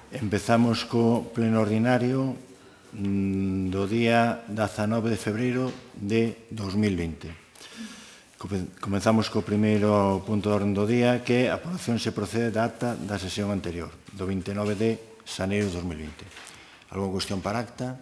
Empezamos co pleno ordinario do día 19 de febreiro de 2020. Comenzamos co primeiro punto de orden do día, que é a aprobación se procede da acta da sesión anterior, do 29 de xaneiro de 2020. Alguna cuestión para acta?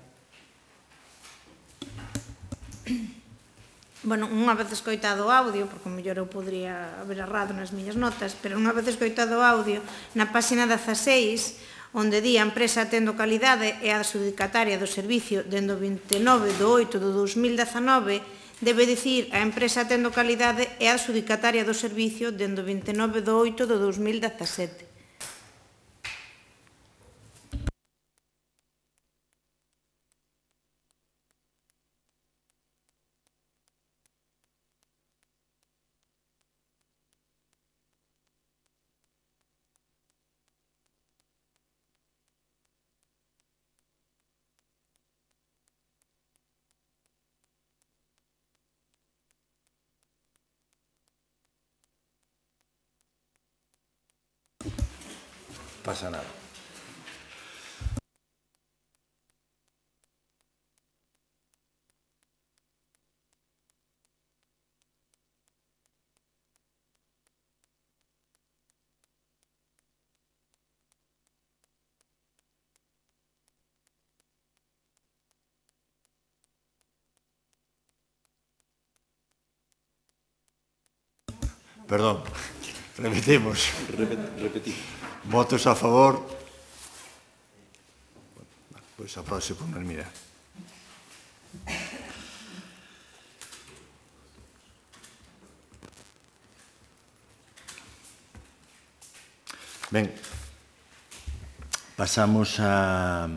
Bueno, unha vez escoitado o audio, porque mellor eu podría haber errado nas miñas notas, pero unha vez escoitado o audio, na página 16, onde di a empresa Atendo Calidade é a adxudicataria do servicio dende o 29 de 8 de 2019, debe dicir a empresa Atendo Calidade é a adxudicataria do servicio dende o 29 de 8 de 2017. Pasa nada. Perdón, repetimos. Repetimos. Votos a favor. Pois apróbase por unanimidade. Ben, pasamos ao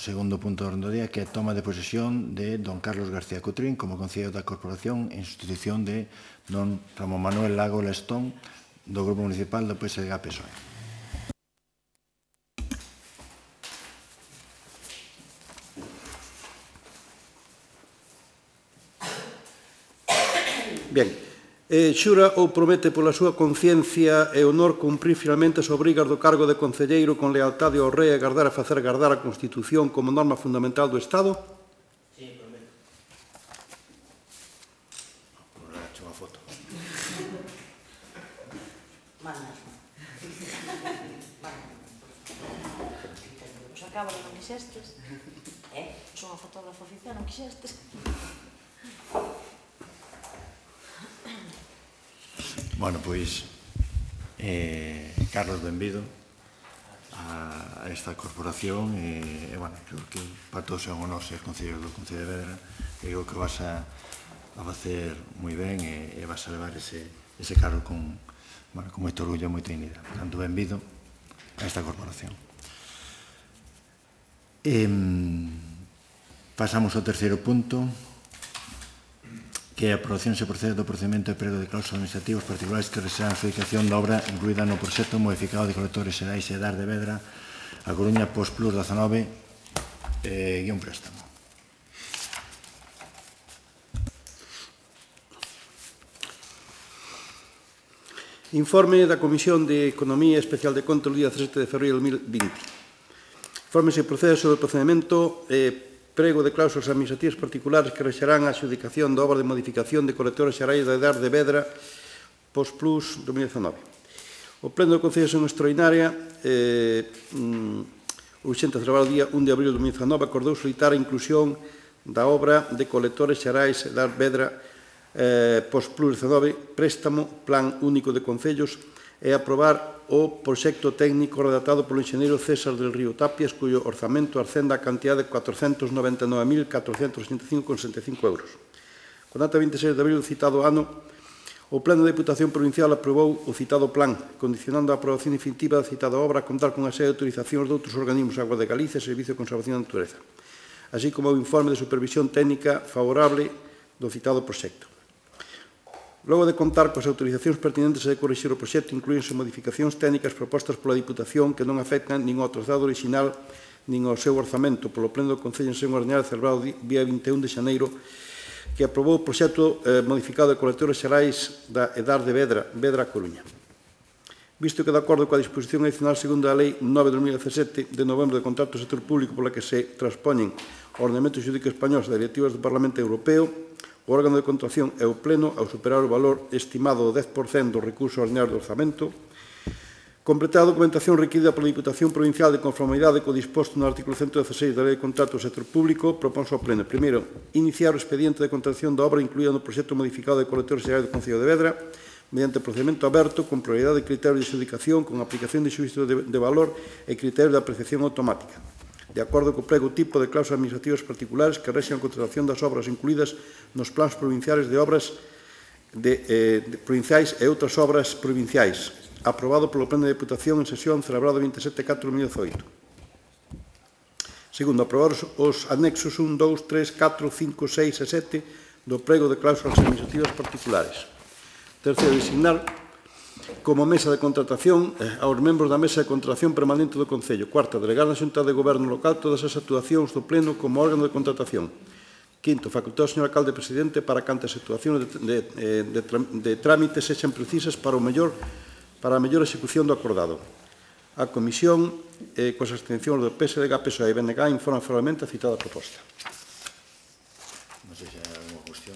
segundo punto do orden do día, que é a toma de posesión de don Carlos García Cotrín como concelleiro da Corporación en sustitución de don Ramón Manuel Lago Lestón do Grupo Municipal do PSDG-PSOE. Bien. Xura ou promete pola súa conciencia e honor cumprir finalmente as obrigas do cargo de concelleiro con lealtade ao rei e agardar a facer gardar a Constitución como norma fundamental do Estado? Sí, prometo. Vamos a echar unha foto. Manda. Os acabo non quixestes. Son unha fotógrafo oficial, non quixestes. Bueno, pois, Carlos, benvido a esta corporación e, bueno, creo que para todos é un honor ser concelleiro do Concello de Vedra. Creo que vas a facer moi ben e vas a levar ese cargo con moito orgullo e moita dignidade. Portanto, benvido a esta corporación. Pasamos ao terceiro punto, que a aprobación se procede do procedimento de prego de cláusulas administrativos particulares que rexeran a adjudicación da obra incluída no proxecto modificado de colectores xerais e dar de Vedra a Coruña Post Plus 19 guión préstamo. Informe da Comisión de Economía Especial de Contas do día 17 de febreiro de 2020. Informe se procede sobre o procedimento prego de cláusulas administrativas particulares que rexerán a adxudicación da obra de modificación de colectores xerais da Edar de Vedra Post Plus 2019. O Pleno do Concello de Sesión Extraordinaria, urxente a celebrar o día 1 de abril de 2019, acordou solicitar a inclusión da obra de colectores xerais Edar Vedra Post Plus 19, préstamo, plan único de concellos, e aprobar o proxecto técnico redactado polo enxeñeiro César del Río Tapias, cuyo orzamento ascende a cantidad de 499.465,65 euros. Con data 26 de abril do citado ano, o Pleno da Diputación Provincial aprobou o citado plan, condicionando a aprobación definitiva da citada obra a contar con a serie de autorizacións de outros organismos Agua de Galicia e Servicio de Conservación da Natureza, así como o informe de supervisión técnica favorable do citado proxecto. Logo de contar coas autorizacións pertinentes e de corrixir o proxecto, incluínse modificacións técnicas propostas pola Diputación que non afectan nin ao trazado original nin ao seu orzamento polo Pleno do Concello en Sesión Ordinaria celebrado día 21 de xaneiro, que aprobou o proxecto modificado de colectores xerais da Edar de Vedra, Vedra Coruña. Visto que, de acordo coa disposición adicional segunda da Lei 9/2017 de novembro de contrato do sector público pola que se transpoñen ao ordenamento xurídico español das directivas do Parlamento Europeo, o órgano de contratación é o Pleno ao superar o valor estimado do 10% do recurso ordinario do orzamento, completar a documentación requerida pola Diputación Provincial de conformidade co disposto no artículo 116 da Lei de Contrato do Sector Público, proponse ao Pleno, primeiro, iniciar o expediente de contratación da obra incluída no proxecto modificado de colector xeral do Concello de Vedra, mediante procedimento aberto, con prioridade de criterios de adxudicación, con aplicación de xuízo de valor e criterios de apreciación automática, de acordo co prego tipo de cláusulas administrativas particulares que rexen a contratación das obras incluídas nos plans provinciais de obras provinciais e outras obras provinciais, aprobado polo Pleno de Deputación en sesión celebrado 27/4/2018. Segundo, aprobar os anexos 1, 2, 3, 4, 5, 6 e 7 do prego de cláusulas administrativas particulares. Terceiro, designar como mesa de contratación aos membros da mesa de contratación permanente do Concello. Cuarta, delegar na Xunta de Goberno local todas as actuacións do Pleno como órgano de contratación. Quinto, facultar ao señor alcalde presidente para que as actuacións de trámite sexan precisas para a mellor execución do acordado. A Comisión, coas abstencións do PSDG, PSOE e BNG, informa formalmente a citada proposta. Non sei se hai alguna cuestión.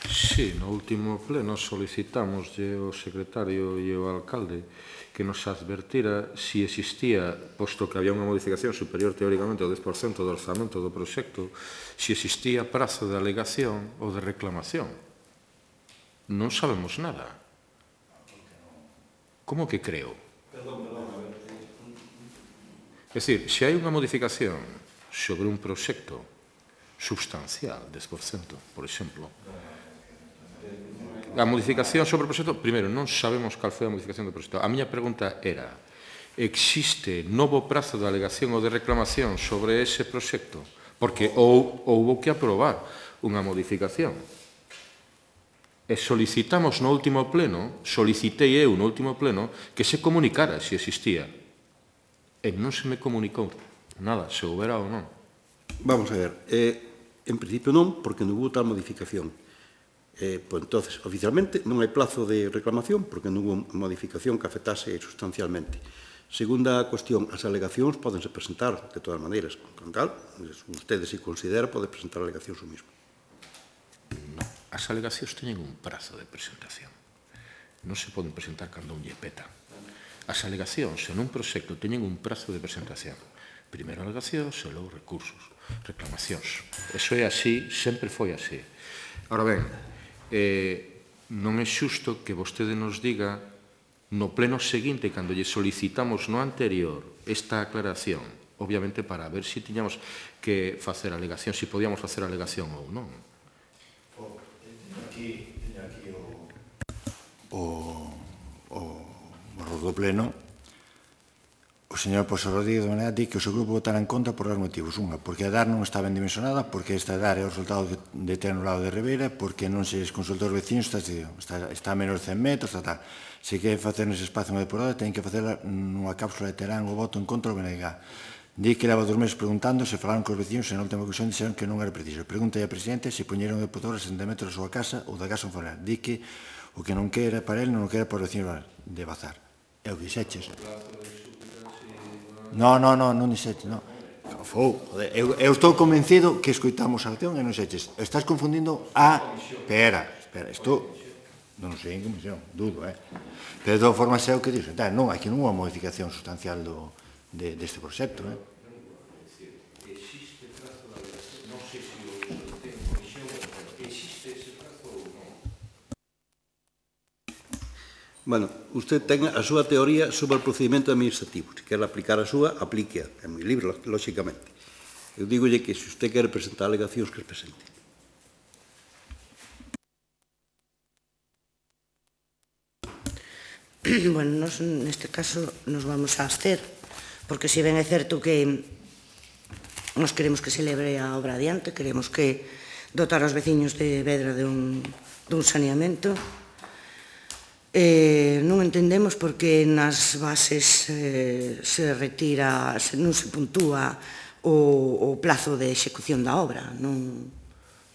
Sí, no último pleno solicitámoslle ao secretario e ao alcalde que nos advertira si existía, posto que había unha modificación superior teóricamente ao 10% do orzamento do proxecto, si existía prazo de alegación ou de reclamación. Non sabemos nada. Como que creo? É dicir, se hai unha modificación sobre un proxecto substancial, 10%, por exemplo, a modificación sobre o proxecto, primeiro, non sabemos cal foi a modificación do proxecto. A miña pregunta era, existe novo prazo de alegación ou de reclamación sobre ese proxecto? Porque houbo que aprobar unha modificación. E solicitamos no último pleno, solicitei eu no último pleno, que se comunicara se existía. E non se me comunicou nada, se houbera ou non. Vamos a ver, en principio non, porque non hubo tal modificación. Pois, entonces, oficialmente non hai plazo de reclamación porque non hubo modificación que afectase sustancialmente. Segunda cuestión, as alegacións podense presentar de todas maneiras. Con tal, ustedes, se considera, pode presentar alegacións o mismo. As alegacións teñen un prazo de presentación. Non se poden presentar cando un lle peta. As alegacións en un proxecto teñen un prazo de presentación. Primeiro alegacións e logo recursos, reclamacións. Eso é así, sempre foi así. Ahora ben, non é xusto que vostede nos diga no pleno seguinte, cando lle solicitamos no anterior esta aclaración, obviamente para ver se tiñamos que facer alegación, se podíamos facer alegación ou non. Teño aquí o do pleno. O señor Pozo Rodríguez de Manera di que o seu grupo votará en contra por dos motivos. Unha, porque a DAR non está ben dimensionada, porque esta DAR é o resultado de ter no lado de Ribeira, porque non se consultou os vecinos, está a menos de 100 metros, tal. Se quere facer nese espacio unha depurada, ten que facela nunha cápsula de terán o voto en contra do BNG. Di que leva 2 meses preguntando se falaron cos vecinos e na última ocasión dixeron que non era preciso. Pregunta ao presidente se poñeron de depurador a 60 metros da súa casa ou da casa onde di que o que non quera para ele non quera para os vecinos de Bazar. E o dixeches. Non dixeches, non. Eu estou convencido que escoitamos a acción e non dixeches. Estás confundindo a... Espera, isto... Non sei en comisión, dudo, Pero de todas formas é o que dixo. Non, aquí non houve unha modificación sustancial deste proxecto, Existe prazo de alegación? Non sei se o ten comisión, existe ese prazo ou non? Bueno, usted ten a súa teoría sobre o procedimento administrativo. Se quer aplicar a súa, aplíquea. É moi libre, lóxicamente. Eu digolle que se usted quer presentar alegacións, que as presente. Bueno, nos neste caso nos vamos a abster, porque se ben é certo que nos queremos que se lebre a obra adiante, queremos que dotar aos veciños de Vedra dun saneamento. Non entendemos porque nas bases se retira, non se puntúa o plazo de execución da obra. Non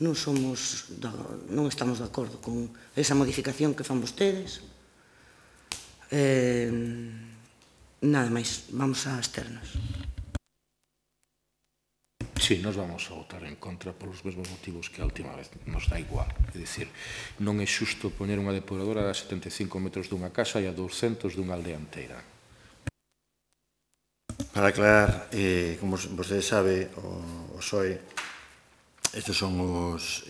estamos de acordo con esa modificación que fan vostedes. Nada máis, vamos a absternos. Sí, nos vamos a votar en contra polos mesmos motivos que a última vez. Nos dá igual. É dicir, non é xusto poñer unha depuradora a 75 metros dunha casa e a 200 dunha aldea inteira. Para aclarar, como vostede sabe, o SOE, estes son os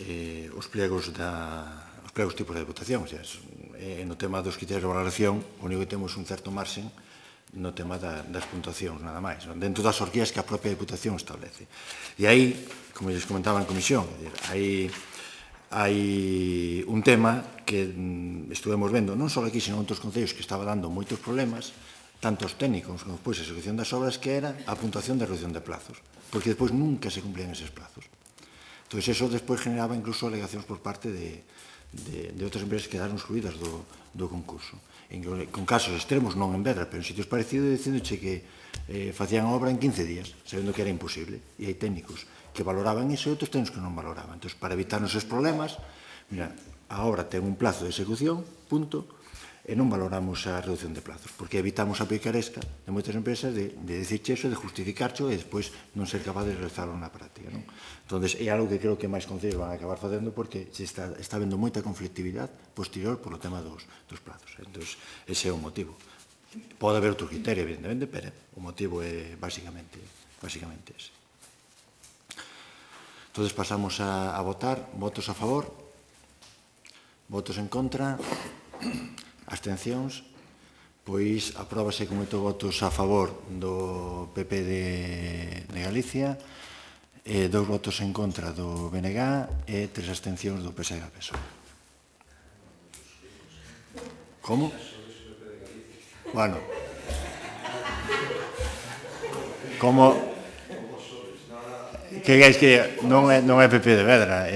pliegos tipos de votación. No tema dos criterios de valoración, o único que temos un certo marxen no tema das puntuacións, nada máis, dentro das orquías que a propia Diputación establece. E aí, como lles comentaba en comisión, hai un tema que estuvemos vendo, non só aquí, sino en outros concellos, que estaba dando moitos problemas, tanto os técnicos como depois a execución das obras, que era a puntuación de reducción de plazos, porque depois nunca se cumplían eses plazos. Entón, eso despois generaba incluso alegacións por parte de outras empresas que quedaron excluídas do concurso. Con casos extremos, non en Vedra, pero en sitios parecidos, dicíndoche que facían a obra en 15 días, sabendo que era imposible. E hai técnicos que valoraban iso e outros técnicos que non valoraban. Entón, para evitarnos esos problemas, mira, a obra ten un plazo de execución, punto, e non valoramos a reducción de plazos, porque evitamos a picaresca de moitas empresas de dicirche eso, de justificarcho e despois non ser capaz de realizarlo na práctica. Entón, é algo que creo que máis concellos van a acabar facendo porque está habendo moita conflictividade posterior polo tema dos plazos. Entón, ese é o motivo. Pode haber outro criterio, evidentemente, pero o motivo é basicamente ese. Entón, pasamos a votar. Votos a favor? Votos en contra? Abstencións? Pois apróbase con 8 votos a favor do PP de Galicia, 2 votos en contra do BNG e 3 abstencións do PSDG-PSOE. Como? Bueno. Como? Que queres que non é PP de Vedra,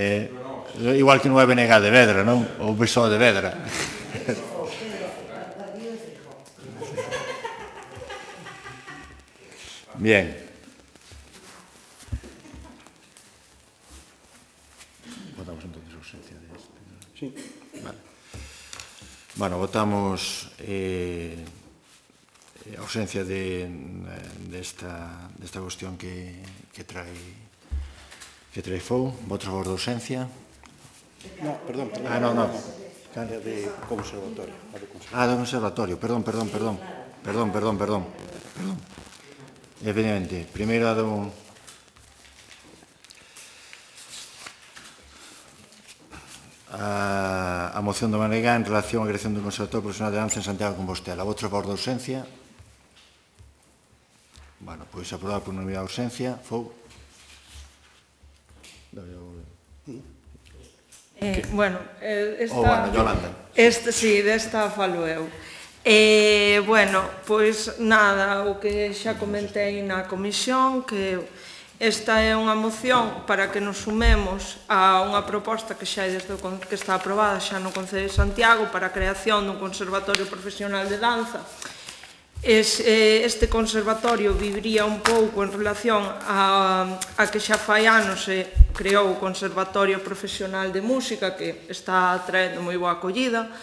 igual que non é BNG de Vedra, non? Ou PSOE de Vedra. Bien. Votamos entonces a ausencia de este. Sí. Vale. Bueno, votamos a ausencia desta cuestión que trae FOU. Votos a favor da ausencia. No, perdón. No. É de conservatorio. Do conservatorio. Perdón. Evidentemente, primeiro a moción do Manegá en relación á creación do Conservatorio Profesional de Danza en Santiago de Compostela. Votos a favor da ausencia. Bueno, pois aprobado por unanimidade a ausencia. Fou. Bueno, Yolanda. Sí, desta falo eu. Bueno, pois nada, o que xa comentei na comisión, que esta é unha moción para que nos sumemos a unha proposta que xa que está aprobada xa no Concello de Santiago para a creación dun conservatorio profesional de danza. Este conservatorio viviría un pouco en relación a que xa fai anos se creou o Conservatorio Profesional de Música, que está traendo moi boa acollida.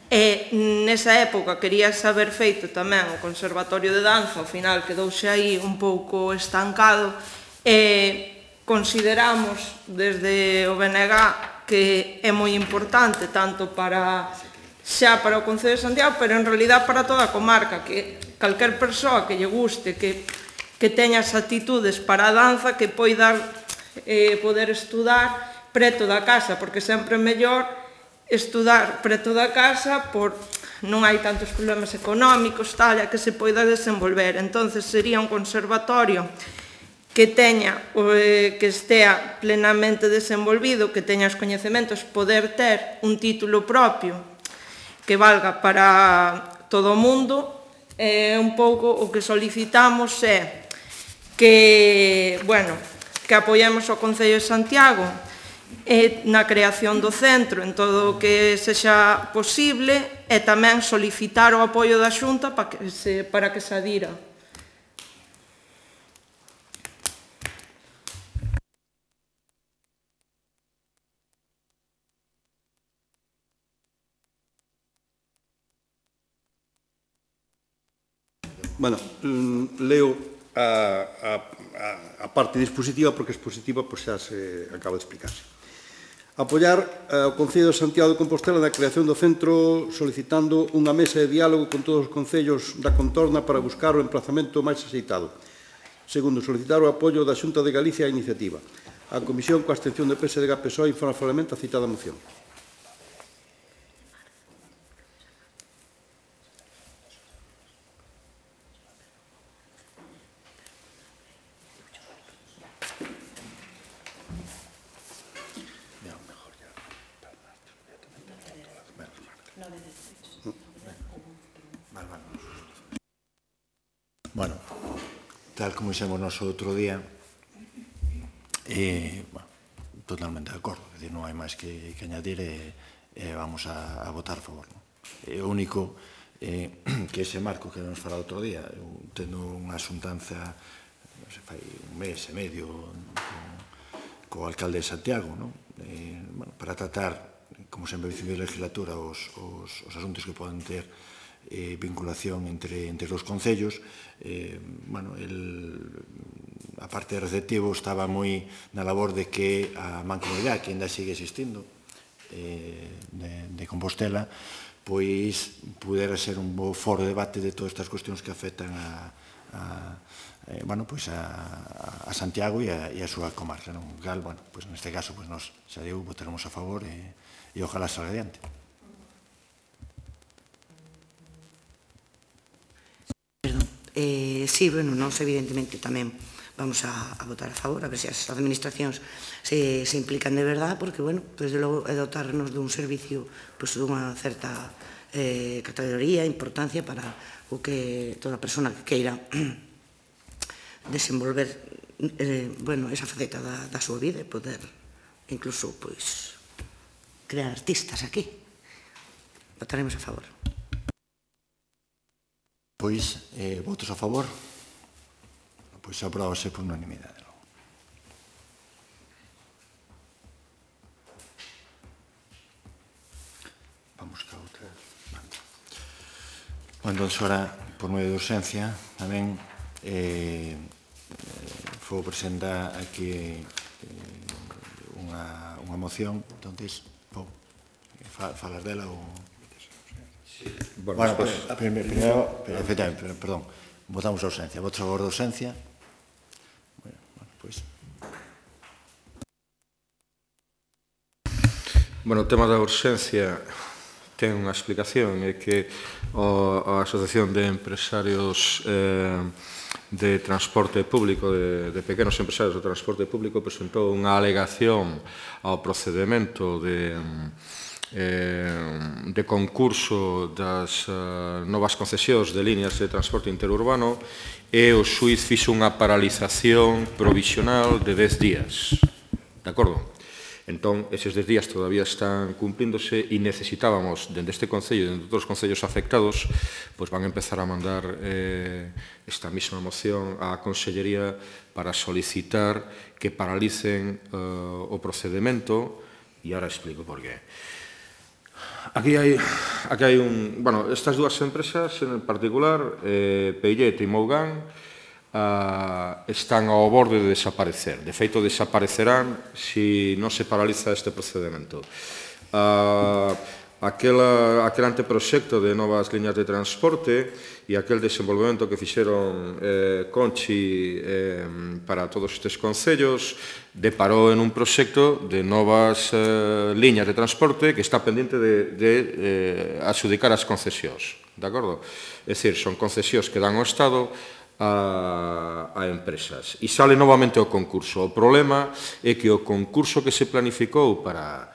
E nesa época queríase haber feito tamén o Conservatorio de Danza, ao final quedouse aí un pouco estancado e consideramos desde o BNG que é moi importante tanto para o Concello de Santiago, pero en realidad para toda a comarca, que calquer persoa que lle guste, que teña as actitudes para a danza, que poida poder estudar preto da casa, porque sempre é mellor estudar preto da casa, non hai tantos problemas económicos, tal, que se poida desenvolver. Entonces sería un conservatorio que estea plenamente desenvolvido, que teña os coñecementos, poder ter un título propio que valga para todo o mundo. Un pouco o que solicitamos é que apoiemos o Concello de Santiago na creación do centro en todo o que sexa posible e tamén solicitar o apoio da Xunta para que se adira. Bueno, leo a parte dispositiva, porque a expositiva xa se acaba de explicarse. Apoiar o Concello de Santiago de Compostela na creación do centro solicitando unha mesa de diálogo con todos os concellos da contorna para buscar o emplazamento máis axeitado. Segundo, solicitar o apoio da Xunta de Galicia á iniciativa. A Comisión, coa abstención de PSDG PSOE, informa favorablemente a citada moción. Bueno, tal como dixemos nos outro día, bueno, totalmente de acordo, é dicir, non hai máis que añadir e vamos a votar a favor. O único que ese marco que nos fará outro día, tendo unha xuntanza, non sei, fai un mes e medio co alcalde de Santiago, bueno, para tratar, como sempre dicimos de legislatura, os asuntos que poden ter vinculación entre os concellos. Bueno, a parte de receptivo estaba moi na labor de que a mancomunidade, que ainda sigue existindo, de Compostela, pois pudera ser un bo foro de debate de todas estas cuestións que afectan a Santiago e a súa comarca. Bueno, neste caso, nos xa digo, votaremos a favor e ojalá salga adiante. Sí, bueno, nós evidentemente tamén vamos a votar a favor, a ver se as administracións se implican de verdade, porque, bueno, desde logo é dotarnos dun servicio dunha certa categoría, importancia para o que toda persona que queira desenvolver esa faceta da súa vida e poder incluso crear artistas aquí. Votaremos a favor. Pois, votos a favor? Pois aprobase por unanimidade. Vamos ca outra. Entón, ahora, por medio de urxencia, tamén foi presentar aquí unha moción, entón, falar dela ou... Bueno, primeiro, efectivamente, perdón, votamos a ausencia. Votos a favor da ausencia? Bueno, pois... Bueno, o tema da urxencia ten unha explicación, é que a Asociación de Empresarios de Transporte Público, de pequenos empresarios de transporte público, presentou unha alegación ao procedimento de concurso das novas concesións de líneas de transporte interurbano e o xuiz fixo unha paralización provisional de 10 días. De acordo? Entón, eses 10 días todavía están cumplíndose e necesitábamos, dende este Concello e dende outros concellos afectados, pois van a empezar a mandar esta mesma moción á Consellería para solicitar que paralicen o procedimento, e agora explico por qué. Aquí hai bueno, estas dúas empresas en particular, Peillet e Mougán, están ao borde de desaparecer. De feito, desaparecerán se non se paraliza este procedimento. Aquel anteproxecto de novas liñas de transporte e aquel desenvolvemento que fixeron Conchi para todos estes concellos deparou en un proxecto de novas liñas de transporte que está pendente de adxudicar as concesións. De acordo? É dicir, son concesións que dan ao Estado a empresas. E sale novamente o concurso. O problema é que o concurso que se planificou para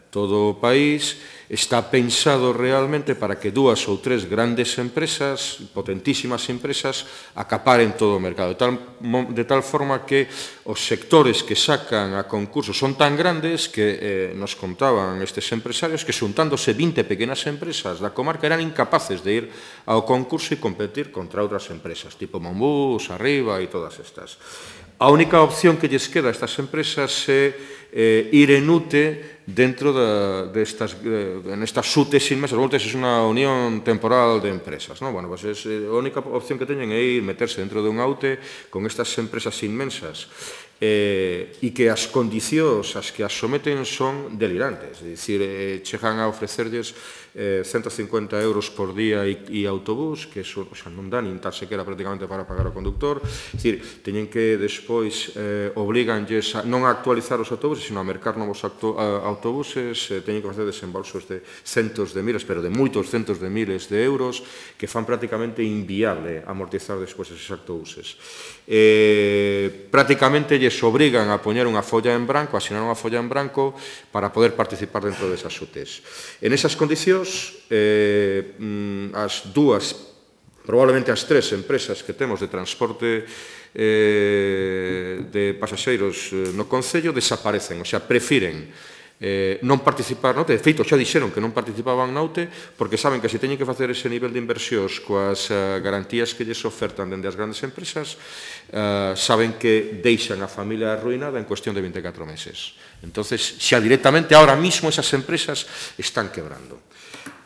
todo o país está pensado realmente para que 2 ou 3 grandes empresas, potentísimas empresas, acaparen todo o mercado, de tal forma que os sectores que sacan a concurso son tan grandes que nos contaban estes empresarios que xuntándose 20 pequenas empresas da comarca eran incapaces de ir ao concurso e competir contra outras empresas, tipo Monbús, Arriba e todas estas. A única opción que lles queda a estas empresas é ir en UTE dentro nestas UTEs inmensas. UTEs es unha unión temporal de empresas. Bueno, pues a única opción que teñen é ir meterse dentro de unha UTE con estas empresas inmensas e que as condicións as que as someten son delirantes. É dicir, chegan a ofrecerlles 150 euros por día e autobús, que non dá nin tal sequera prácticamente para pagar o conductor. É dicir, teñen que despois obliganlles non a actualizar os autobuses, sino a mercar novos autobuses, teñen que facer desembolsos de centos de miles, pero de moitos centos de miles de euros, que fan prácticamente inviable amortizar despois eses autobuses. Prácticamente lles obrigan a poñer unha folla en branco, a asinar unha folla en branco para poder participar dentro desas UTEs. En esas condicións, as dúas, probablemente as tres empresas que temos de transporte de pasaxeiros no Concello desaparecen, o sea, prefiren non participar, de feito xa dixeron que non participaban na UTE porque saben que se teñen que facer ese nivel de inversións coas garantías que lles ofertan dende as grandes empresas, saben que deixan a familia arruinada en cuestión de 24 meses. Entonces, xa directamente, ahora mismo, esas empresas están quebrando,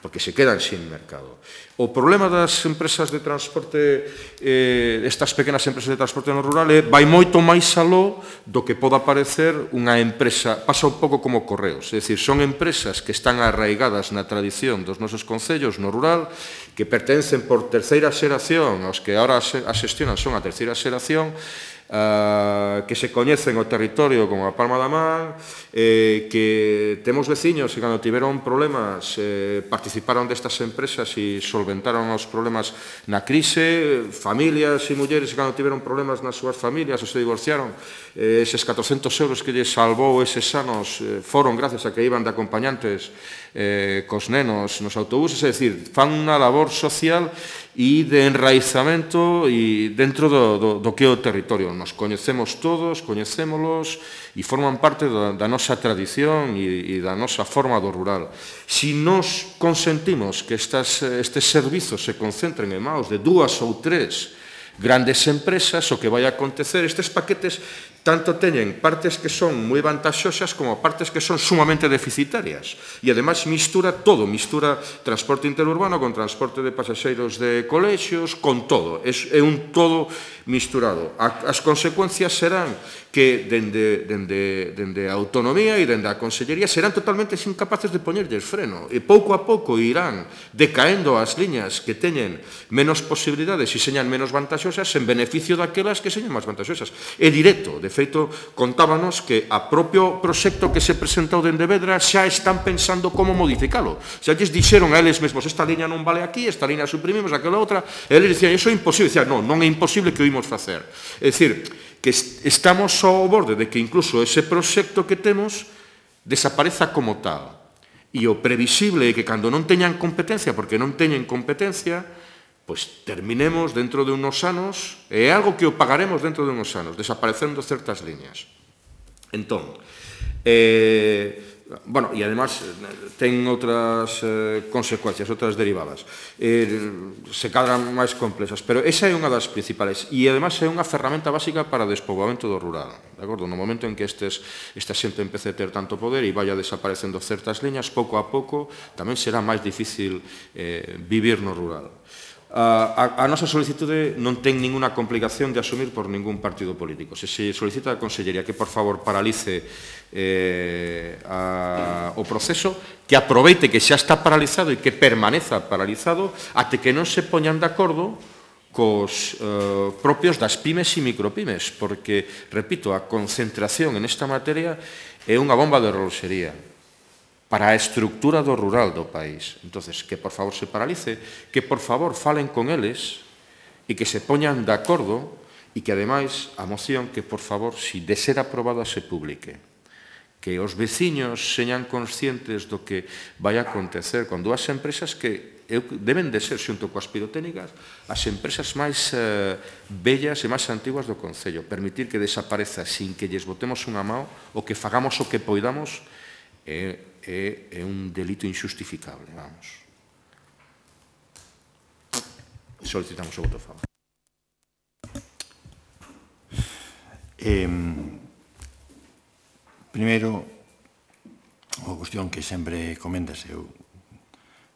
porque se quedan sin mercado. O problema das empresas de transporte, estas pequenas empresas de transporte no rural, vai moito máis aló do que poda parecer unha empresa, pasa un pouco como Correos, é dicir, son empresas que están arraigadas na tradición dos nosos concellos no rural, que pertencen por terceira xeración, aos que ahora as xestionan son a terceira xeración, que se coñecen o territorio como a palma da man, que temos veciños que cando tiveron problemas participaron destas empresas e solventaron os problemas na crise, familias e mulleres que cando tiveron problemas nas súas familias ou se divorciaron, eses 400 euros que lles salvou eses anos foron gracias a que iban de acompañantes cos nenos nos autobuses, é dicir, fan unha labor social e de enraizamento e dentro do que é o territorio. Nos coñecemos todos, coñecémolos e forman parte da nosa tradición e da nosa forma do rural. Si nos consentimos que estes servizos se concentren en maus de 2 ou 3 grandes empresas, o que vai acontecer, estes paquetes tanto teñen partes que son moi vantaxosas como partes que son sumamente deficitarias. E, ademais, mistura todo, mistura transporte interurbano con transporte de pasaxeiros de colexios, con todo. É un todo misturado. As consecuencias serán que dende a autonomía e dende a consellería serán totalmente incapaces de poñerlles freno. E pouco a pouco irán decaendo as liñas que teñen menos posibilidades e señan menos vantaxosas en beneficio daquelas que señan máis vantaxosas. É directo. De feito, contábanos que a propio proxecto que se presentou dende Vedra xa están pensando como modificalo. Xa lles dixeron a eles mesmos, esta liña non vale aquí, esta liña suprimimos, aquela outra, e eles dicían, iso é imposible. Dicían, non é imposible que o imos facer. É dicir, que estamos ao borde de que incluso ese proxecto que temos desapareza como tal. E o previsible é que cando non teñan competencia, porque non teñen competencia, pois terminemos dentro de unos anos, é algo que o pagaremos dentro de unos anos, desaparecendo certas liñas. Entón, bueno, e además ten outras consecuencias, outras derivadas. Se cadran máis complexas, pero esa é unha das principales. E además é unha ferramenta básica para o despoboamento do rural. De acordo? No momento en que esta xente empece a ter tanto poder e vaya desaparecendo certas liñas, pouco a pouco tamén será máis difícil vivir no rural. A nosa solicitude non ten ninguna complicación de asumir por ningún partido político. Se solicita a Consellería que, por favor, paralice o proceso, que aproveite que xa está paralizado e que permaneza paralizado até que non se poñan de acordo cos propios das pymes e micropymes, porque, repito, a concentración en esta materia é unha bomba de reloxería para a estructura do rural do país. Entonces, que por favor se paralice, que por favor falen con eles e que se poñan de acordo e que, ademais, a moción que, por favor, si de ser aprobada, se publique. Que os veciños señan conscientes do que vai acontecer con dúas empresas que deben de ser, xunto coas pirotécnicas, as empresas máis bellas e máis antiguas do Concello. Permitir que desapareza sin que lles botemos unha mão ou que fagamos o que poidamos é un delito injustificable, vamos. Solicitamos o voto a favor. Primeiro, unha cuestión que sempre comentas, eu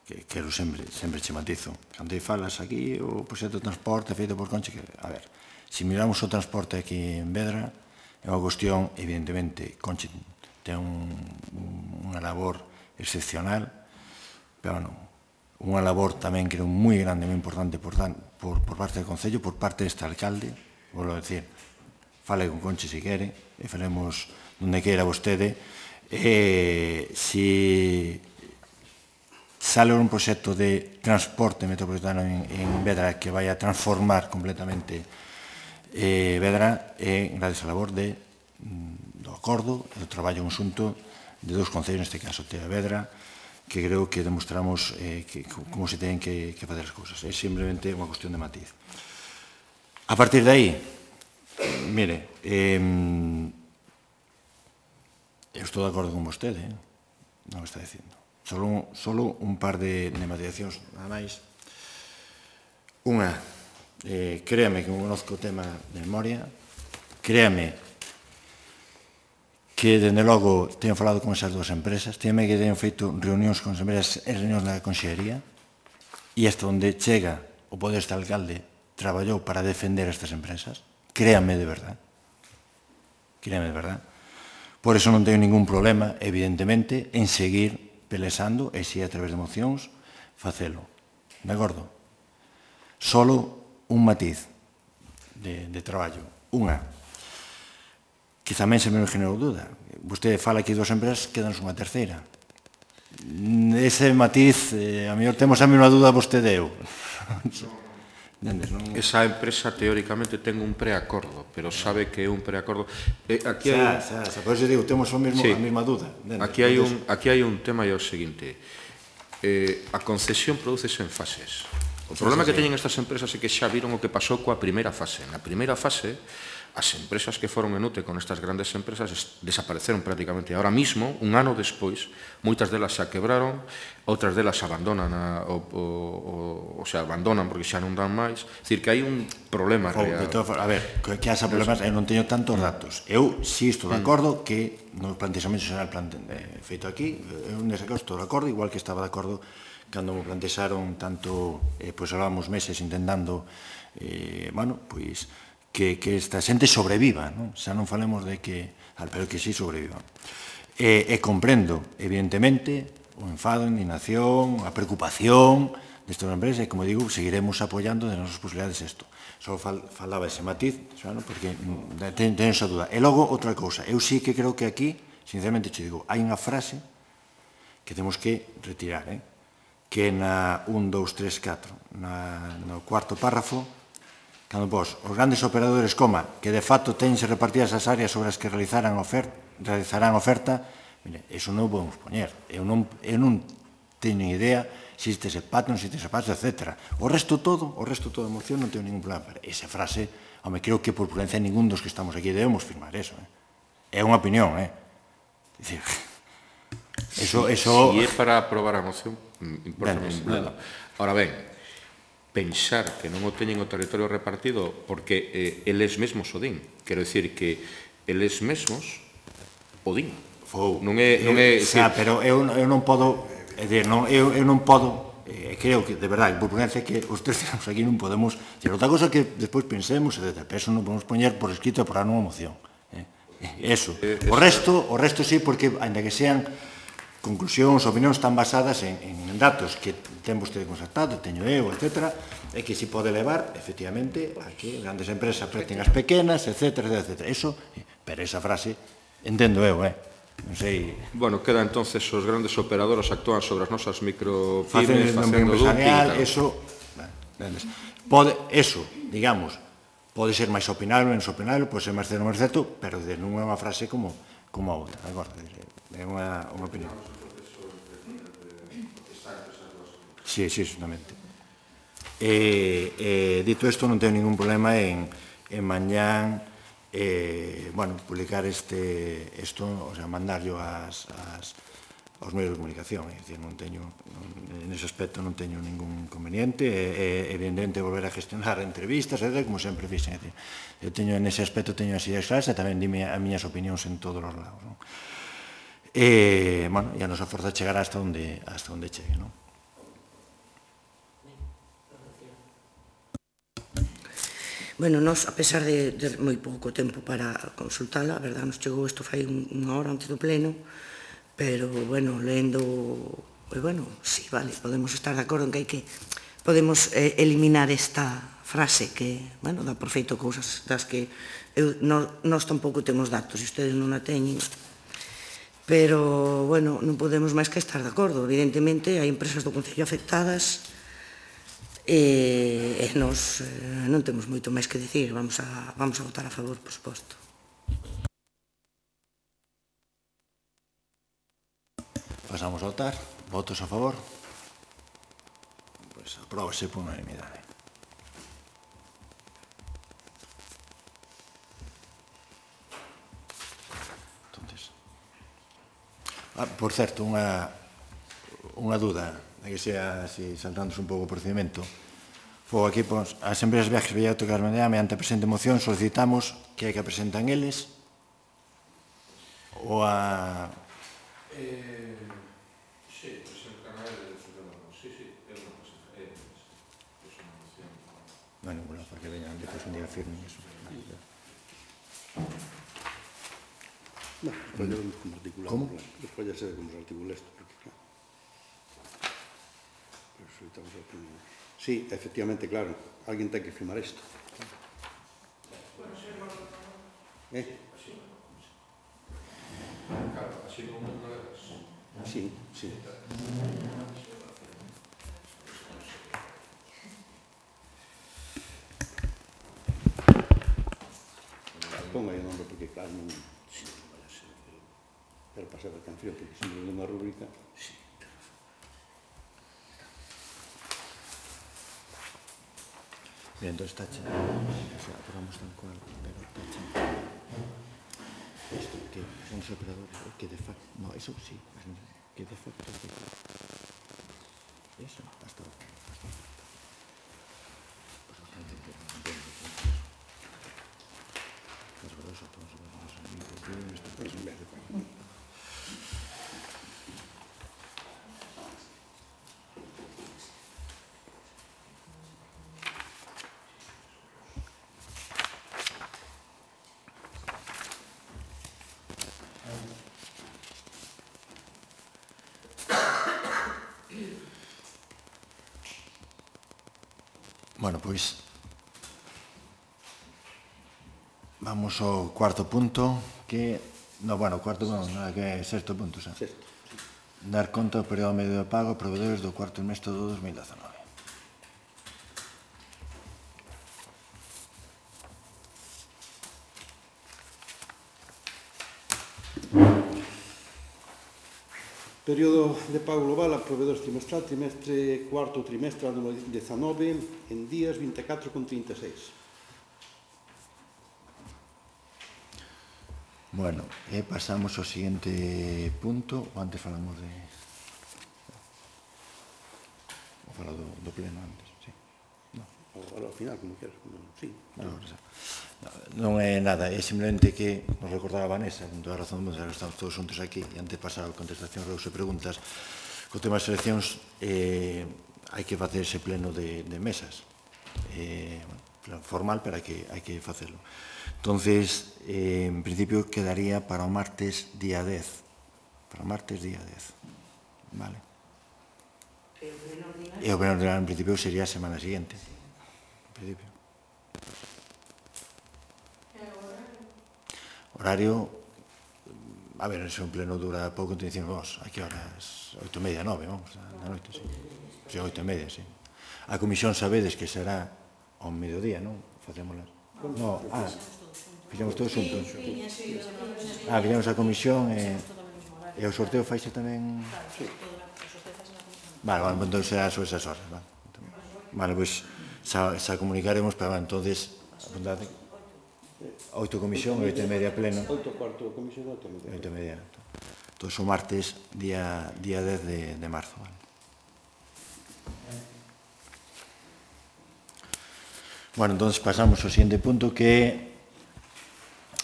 que quero sempre che matizo. Cando falas aquí, o proxecto de transporte feito por Conchi, a ver, se miramos o transporte aquí en Vedra, é unha cuestión, evidentemente, Conchi ten unha labor excepcional, pero non, unha labor tamén creo moi grande, moi importante por parte do Concello, por parte deste alcalde, vou decir, fale con Conchi se quere, e faremos donde queira vostede, se sale un proxecto de transporte metropolitano en Vedra que vai a transformar completamente Vedra, é gracias a labor do acordo e do traballo conxunto de dous concellos, neste caso Teo e Vedra, que creo que demostramos como se teñen que facer as cousas. É simplemente unha cuestión de matiz. A partir de aí, mire, eu estou de acordo con vostede, non o está dicindo. Solo un par de matizacións, nada máis. Unha, créame que conozco o tema de memoria, créame que, dende logo, teño falado con esas dúas empresas, créame que teño feito reunións con as empresas e reunións na Consellería, e hasta onde chega o poder este alcalde traballou para defender estas empresas, créame de verdad. Créame de verdad. Por eso non teño ningún problema, evidentemente, en seguir pelesando, e se a través de mocións, facelo. De acordo? Solo un matiz de traballo. Unha, que tamén se me generou dúda. Vostede fala que dúas empresas, quedanos unha terceira. Ese matiz, a mellor temos a mesma dúda vostede e eu. Esa empresa teóricamente ten un preacordo, pero sabe que é un preacordo. Aquí hai... Por eso digo, temos a mesma dúda. Aquí hai un tema e é o seguinte. A concesión prodúcese en fases. O problema que teñen estas empresas é que xa viron o que pasou coa primeira fase. Na primeira fase, as empresas que foron en UTE con estas grandes empresas desapareceron prácticamente. Ahora mismo, un ano despois, moitas delas xa quebraron, outras delas abandonan, abandonan porque xa non dan máis. É dicir, que hai un problema real. A ver, que haxa problemas, eu non teño tantos datos. Eu si estou de acordo que no plantexamento xeral feito aquí, eu nese caso estou de acordo, igual que estaba de acordo cando me plantexaron tanto, pois hablábamos meses intentando, bueno, pois, que esta xente sobreviva, xa non falemos de que, pero que sí sobreviva. E comprendo, evidentemente, o enfado, a indignación, a preocupación destas empresas, e, como digo, seguiremos apoiando de nosas posibilidades isto. Só falaba ese matiz, porque teño esa duda. E logo, outra cousa, eu sí que creo que aquí, sinceramente, te digo, hai unha frase que temos que retirar, que na 1, 2, 3, 4, no cuarto párrafo, cando pos os grandes operadores, que de facto teñense repartidas as áreas sobre as que realizarán oferta, mire, eso non o podemos poñer. Eu non teño idea se existe ese pacto, non existe ese pacto, etc. O resto todo da moción non teño ningún problema. Esa frase, home, creo que por prudencia ningún dos que estamos aquí debemos firmar eso. É unha opinión, Dicir, eso... Si é para aprobar a moción, importa un bledo. Ahora ben, pensar que non o teñen o territorio repartido porque eles mesmos o din. Quero dicir que eles mesmos o din. Non é... Pero eu non podo... Eu non podo... Creo que, de verdade, por prudencia, que os tres tiramos aquí non podemos... Outra cosa que despois pensemos, pero eso non podemos poñer por escrito para unha moción. Eso. O resto sí, porque, ainda que sean conclusións, opinións tan basadas en datos que ten vostede constatado, teño eu, etc., é que se pode levar, efectivamente, a que grandes empresas preten as pequenas, etc. Eso, pero esa frase, entendo eu, non sei... Bueno, queda entonces os grandes operadores actúan sobre as nosas micropymes, facendo dumping. Eso, digamos, pode ser máis opinable, menos opinable, pode ser máis certo, menos certo, pero non é unha frase como a outra, de acordo? É unha opinión. Sí, exactamente. Dito isto, non teño ningún problema en mañán publicar isto, o sea, mandarlo aos medios de comunicación. É dicir, nese aspecto non teño ningún inconveniente. Evidentemente, volver a gestionar entrevistas, como sempre fixen. Eu teño, nese aspecto, teño as ideas claras e tamén dime as miñas opinións en todos os lados. e a nosa forza chegará hasta onde chegue, non? Bueno, nós, a pesar de moi pouco tempo para consultala, a verdade, nos chegou isto fai unha hora antes do pleno, pero, bueno, lendo, bueno, sí, vale, podemos estar de acordo en que podemos eliminar esta frase que, bueno, dá por feito cousas das que nós tampouco temos datos e ustedes non a teñen, pero, bueno, non podemos máis que estar de acordo. Evidentemente, hai empresas do Concello afectadas e nos non temos moito máis que dicir, vamos a votar a favor, por suposto. Pasamos a votar. Votos a favor? Pois apróbase por unanimidade. Por certo, unha duda, que sea así, saltándose un pouco o procedimento. Aquí, as empresas de viajes Bellato e Carmenea, mediante a presente moción, solicitamos que hai que presentan eles ou a... Sí, presentan a eles, sí, é unha presentan eles. Non, ninguna, para que veñan depois un día firme iso. Despois ya vemos como articulamos. ¿Cómo? Despois ya se ve como se articula isto, porque claro. Pero solicitamos a opinión. Sí, efectivamente, claro, alguén ten que firmar isto. Claro, así non é. Sí, sí. Ponga aí o nombre porque, claro, non... Pero para saber quen frío, porque sempre é unha rúbrica... Bien, entón está che. Apuramos tal cual, pero está che. Isto, que son os operadores, que de facto... No, eso sí, que de facto... Eso, hasta ahora. Pues bastante que no entiendo. Las verdades son todos los amigos de nuestro país. Bueno, pois vamos ao cuarto punto, que... No, bueno, cuarto punto, nada, que é sexto punto, xa. Sexto. Dar conta do período medio de pago a proveedores do cuarto trimestre do 2019. Período de pago global a proveedores trimestral, trimestre cuarto trimestre ano 19, en días 24,36. Bueno, pasamos ao seguinte punto, ou antes falamos de... Vou falar do pleno antes, sí. Agora ao final, como queras, sí. Non é nada, é simplemente que nos recordaba a Vanessa, con toda a razón, que estamos todos juntos aquí, e antes de pasar a contestación reus e preguntas, co tema das eleccións hai que facer ese pleno de mesas. Formal, pero hai que facelo. Entonces, en principio, quedaría para o martes día 10. Para o martes día 10. Vale. E o pleno ordinario, en principio, sería a semana siguiente. En principio. Horario, a ver, ese un pleno dura pouco, entón dicimos, a que horas? 8:30, 9, vamos, da noite, sí. Sí, 8:30, sí. A comisión sabedes que será ao mediodía, non? Facémolas. No, fixemos todos xuntos. Fixemos a comisión e o sorteo faixe tamén... Vale, entón será sobre esas horas, vale. Vale, pois, xa comunicaremos, pero, entonces, apuntade... 8 comisión, 8:30 pleno. 8 cuarto comisión, 8:30. Entón, o martes, día 10 de marzo. Vale. Bueno, entón, pasamos ao siguiente punto, que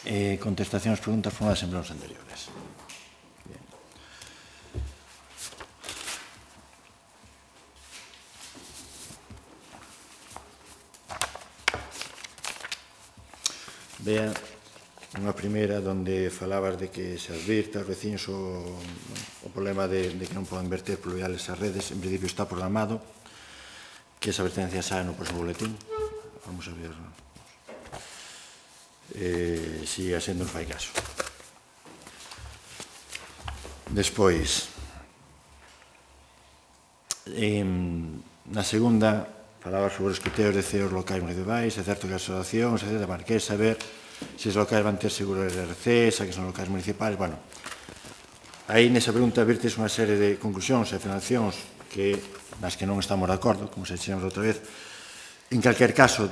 é contestación ás preguntas formuladas en plenos anteriores. Bien. Bea, unha primeira onde falabas de que se advirta aos veciños o problema de que non poden verter pluviales as redes. En principio está programado que esa advertencia saia no próximo boletín. Vamos a ver si a xente nos fai caso. Despois, na segunda, falaba sobre os criterios de CEOs locais municipais, é certo que as asociacións, etc. Quer saber se os locais van ter seguro de RC, xa que son locais municipais. Bueno, aí nesa pregunta virtes unha serie de conclusións e afirmacións nas que non estamos de acordo, como se dixemos outra vez. En calquer caso,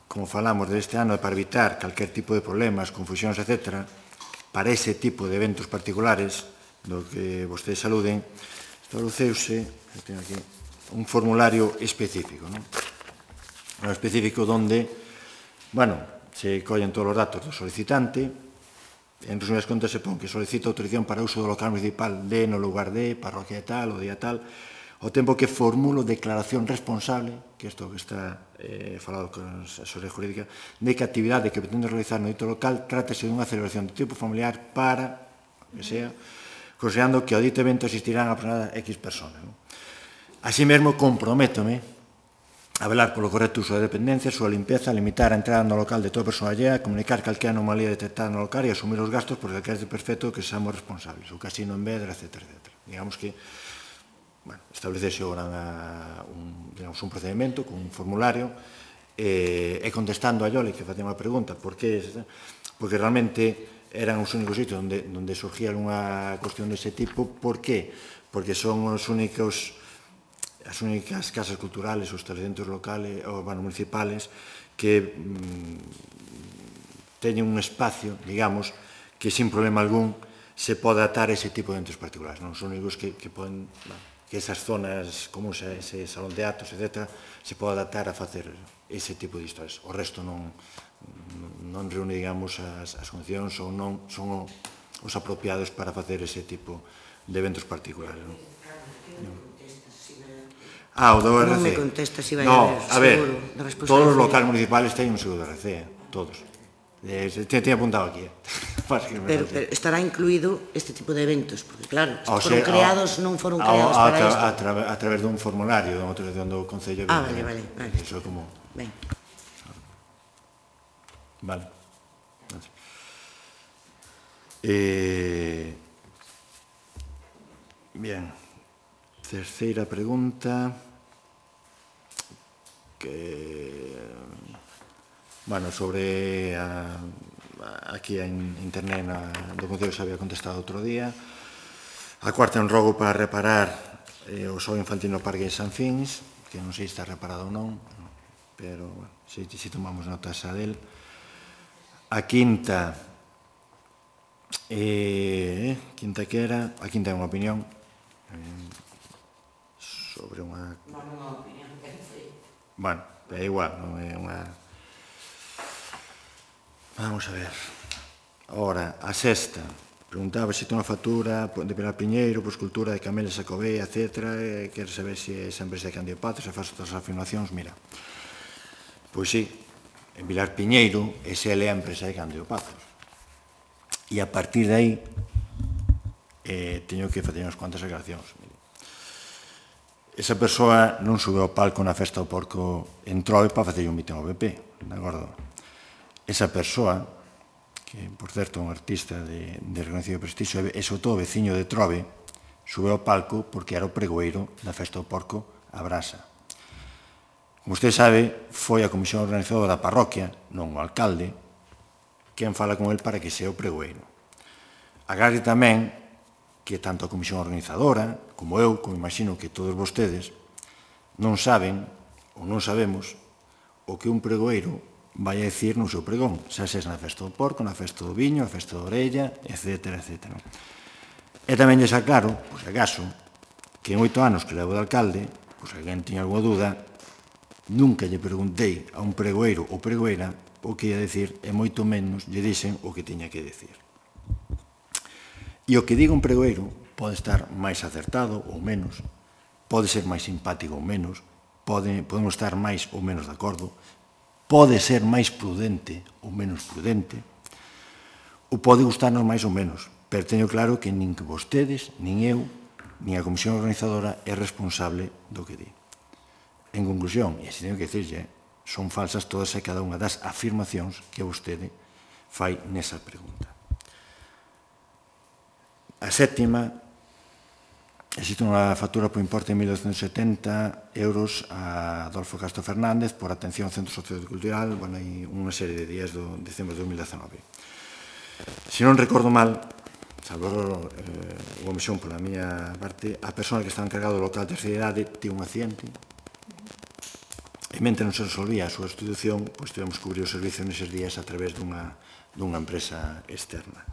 como falamos deste ano, para evitar calquer tipo de problemas, confusións, etc., para ese tipo de eventos particulares do que vostedes saluden, estableceuse, teño aquí, un formulario específico, non? Un específico onde, se collen todos os datos do solicitante, en resumidas contas se pon que solicita autorización para uso do local municipal no lugar de, parroquia tal, o día tal, ao tempo que formulo declaración responsable, que isto que está falado con a asesoría jurídica, de que a actividade que pretendo realizar no dito local trátese dunha celebración de tipo familiar para, que sea, considerando que ao dito evento asistirán aproximadamente X personas. Así mesmo, comprométome a velar polo correcto uso da dependencia, súa limpeza, limitar a entrada no local de toda persoa allea, comunicar calquera anomalía detectada no local e asumir os gastos por calquera perfecto que seamos responsables, o casino en Vedra, etc. Digamos que establecese un procedimento con un formulario e contestando a Yoli que facía unha pregunta porque realmente eran os únicos sitios onde surgía unha cuestión dese tipo. Por qué? Porque son as únicas casas culturales ou establecimientos locales ou municipales que teñen un espacio, digamos, que sin problema algún se pode adaptar a ese tipo de eventos particulares. Non son únicos que poden que esas zonas comuns, ese salón de actos, etc., se pode adaptar a facer ese tipo de historias. O resto non reúne, digamos, as condicións ou non son os apropiados para facer ese tipo de eventos particulares. O do RC. Non me contesta si vai haber seguro de responsabilidade. Todos os locales municipales teñen un seguro de RC, todos. Teño apuntado aquí. Pero estará incluído este tipo de eventos, porque claro, foron creados, non foron creados para isto. A través dun formulario de autorización do Concello. Vale. Iso é como... Ben. Vale. Bien. Terceira pregunta sobre aquí en internet do Concello xa había contestado outro día. A cuarta é un rogo para reparar o xogo infantil no Parque de San Fins, que non sei se está reparado ou non, pero se tomamos nota xa del. A quinta que era, a quinta é unha opinión sobre unha... Non é unha opinión, que foi. Bueno, é igual, non é unha... Vamos a ver. Ora, a sexta. Preguntaba se ten unha factura de Pilar Piñeiro, por escultura de Camelia Sacobea, etc. Quero saber se esa empresa de Cándido Pazos, se faz outras afirmacións. Mira, pois sí, en Pilar Piñeiro, esa é a empresa de Cándido Pazos. E a partir de aí, teño que facer unhas cuantas aclaracións. Esa persoa non sube ao palco na festa do porco en Trove para facer un mitin ao BP, de acordo? Esa persoa, que, por certo, é un artista de reconhecido prestixio, e sobre todo veciño de Trove, sube ao palco porque era o pregoeiro da festa do porco a Brasa. Como usted sabe, foi a comisión organizadora da parroquia, non o alcalde, quen fala con el para que sea o pregoeiro. Agarde tamén que tanto a comisión organizadora, como eu, como imagino que todos vostedes, non saben, ou non sabemos, o que un pregoeiro vai a dicir no seu pregón, xa sexa na festa do porco, na festa do viño, na festa da orella, etc. E tamén lles aclaro, por se acaso, que en 8 anos que levo de alcalde, por se alguén tiña alguna dúda, nunca lle preguntei a un pregoeiro ou pregoeira o que ia dicir, e moito menos lle dixen o que tiña que dicir. E o que diga un pregoeiro pode estar máis acertado ou menos, pode ser máis simpático ou menos, podemos estar máis ou menos de acordo, pode ser máis prudente ou menos prudente, ou pode gustarnos máis ou menos, pero teño claro que nin que vostedes, nin eu, nin a Comisión Organizadora é responsable do que di. En conclusión, e así teño que dicirlle, son falsas todas e cada unha das afirmacións que vostede fai nesa pregunta. A sétima, existe unha factura por importe de 1.270 euros a Adolfo Castro Fernández por atención ao Centro Sociocultural, bueno, hai unha serie de días do diciembre de 2019. Se non recordo mal, salvo a comisión pola miña parte, a persona que estaba encargada do local de terceira idade tivo un accidente e mentre non se resolvía a súa institución, pois tivemos que cubrir o servicio neses días a través dunha empresa externa.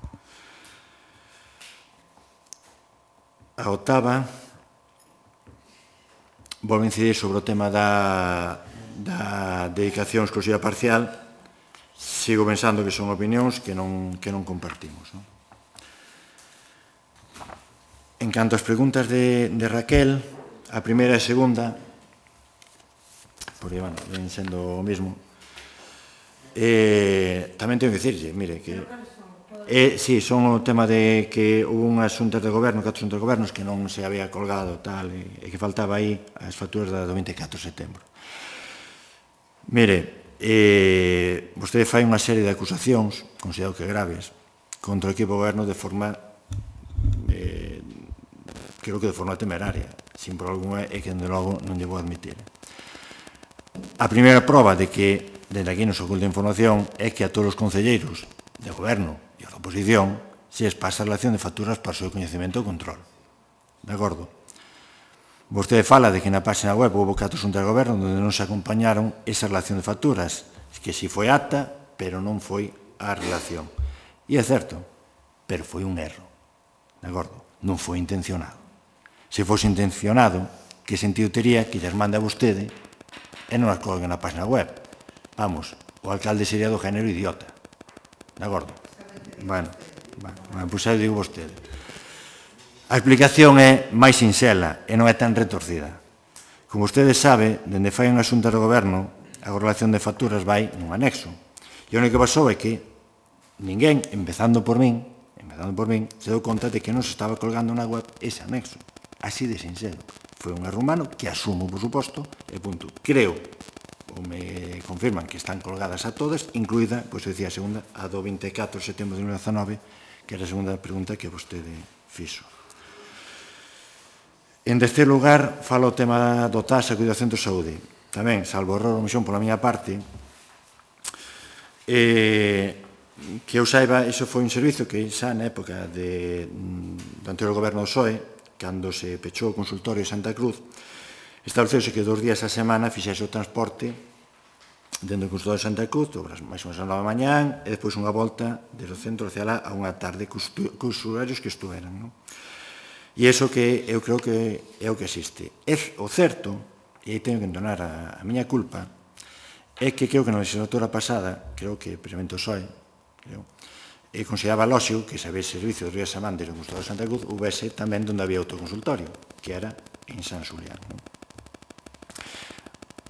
A octava, volvo a incidir sobre o tema da dedicación exclusiva parcial. Sigo pensando que son opinións que non compartimos. En canto ás preguntas de Raquel, a primeira e a segunda, porque, bueno, ven sendo o mismo, tamén tengo que dicirlle, mire, que sí, son o tema de que houve unhas xuntas de goberno, 4 xuntas de gobernos que non se había colgado tal, e que faltaba aí as facturas do 24 de setembro. Mire, vostede fai unha serie de acusacións, considero que graves, contra o equipo de goberno de forma, creo que de forma temeraria, sin por alguna, e que, dende logo, non lle vou admitir. A primeira proba de que, dende aquí nos oculta información, é que a todos os concelleiros de goberno e a da oposición se les pasa a relación de facturas para o seu coñecemento e control. De acordo? Vostede fala de que na página web houve 4 xuntas de goberno onde non se acompañaron esa relación de facturas, que si foi acta, pero non foi a relación. E é certo, pero foi un erro. De acordo? Non foi intencionado. Se fose intencionado, que sentido tería que lles mande a vostede e non as colguen na página web? Vamos, o alcalde sería do género idiota. De acordo? Bueno, pois aí digo vostede. A explicación é máis sinxela e non é tan retorcida. Como vostede sabe, dende fai unha xunta do goberno, a correlación de facturas vai nun anexo. E o único que pasou é que ninguén, empezando por min, se deu conta de que non se estaba colgando na web ese anexo. Así de sinxelo. Foi un erro humano que asumo, por suposto, e punto. Creo, ou me confirman que están colgadas a todas, incluída, pois eu dicía a segunda, a do 24 de setembro de 2019, que era a segunda pregunta que vostede fixo. En terceiro lugar, fala o tema do TAS e cuidado do centro de saúde. Tamén, salvo error ou omisión pola miña parte, que eu saiba, iso foi un servizo que xa na época do anterior goberno do PSOE, cando se pechou o consultorio de Santa Cruz, estableceuse que 2 días a semana fixese o transporte dentro do consultorio de Santa Cruz, máis ou menos a 9 da mañán, e depois unha volta desde o centro hacia lá a unha tarde cos usuarios que estuveran, non? E iso que eu creo que é o que existe. O certo, e aí teño que entonar a miña culpa, é que creo que na legislatura pasada, creo que precisamente o PSOE, consideraba lóxico que se habese servicio de días a semana desde o consultorio de Santa Cruz houvese tamén onde había outro consultorio, que era en San Xulián.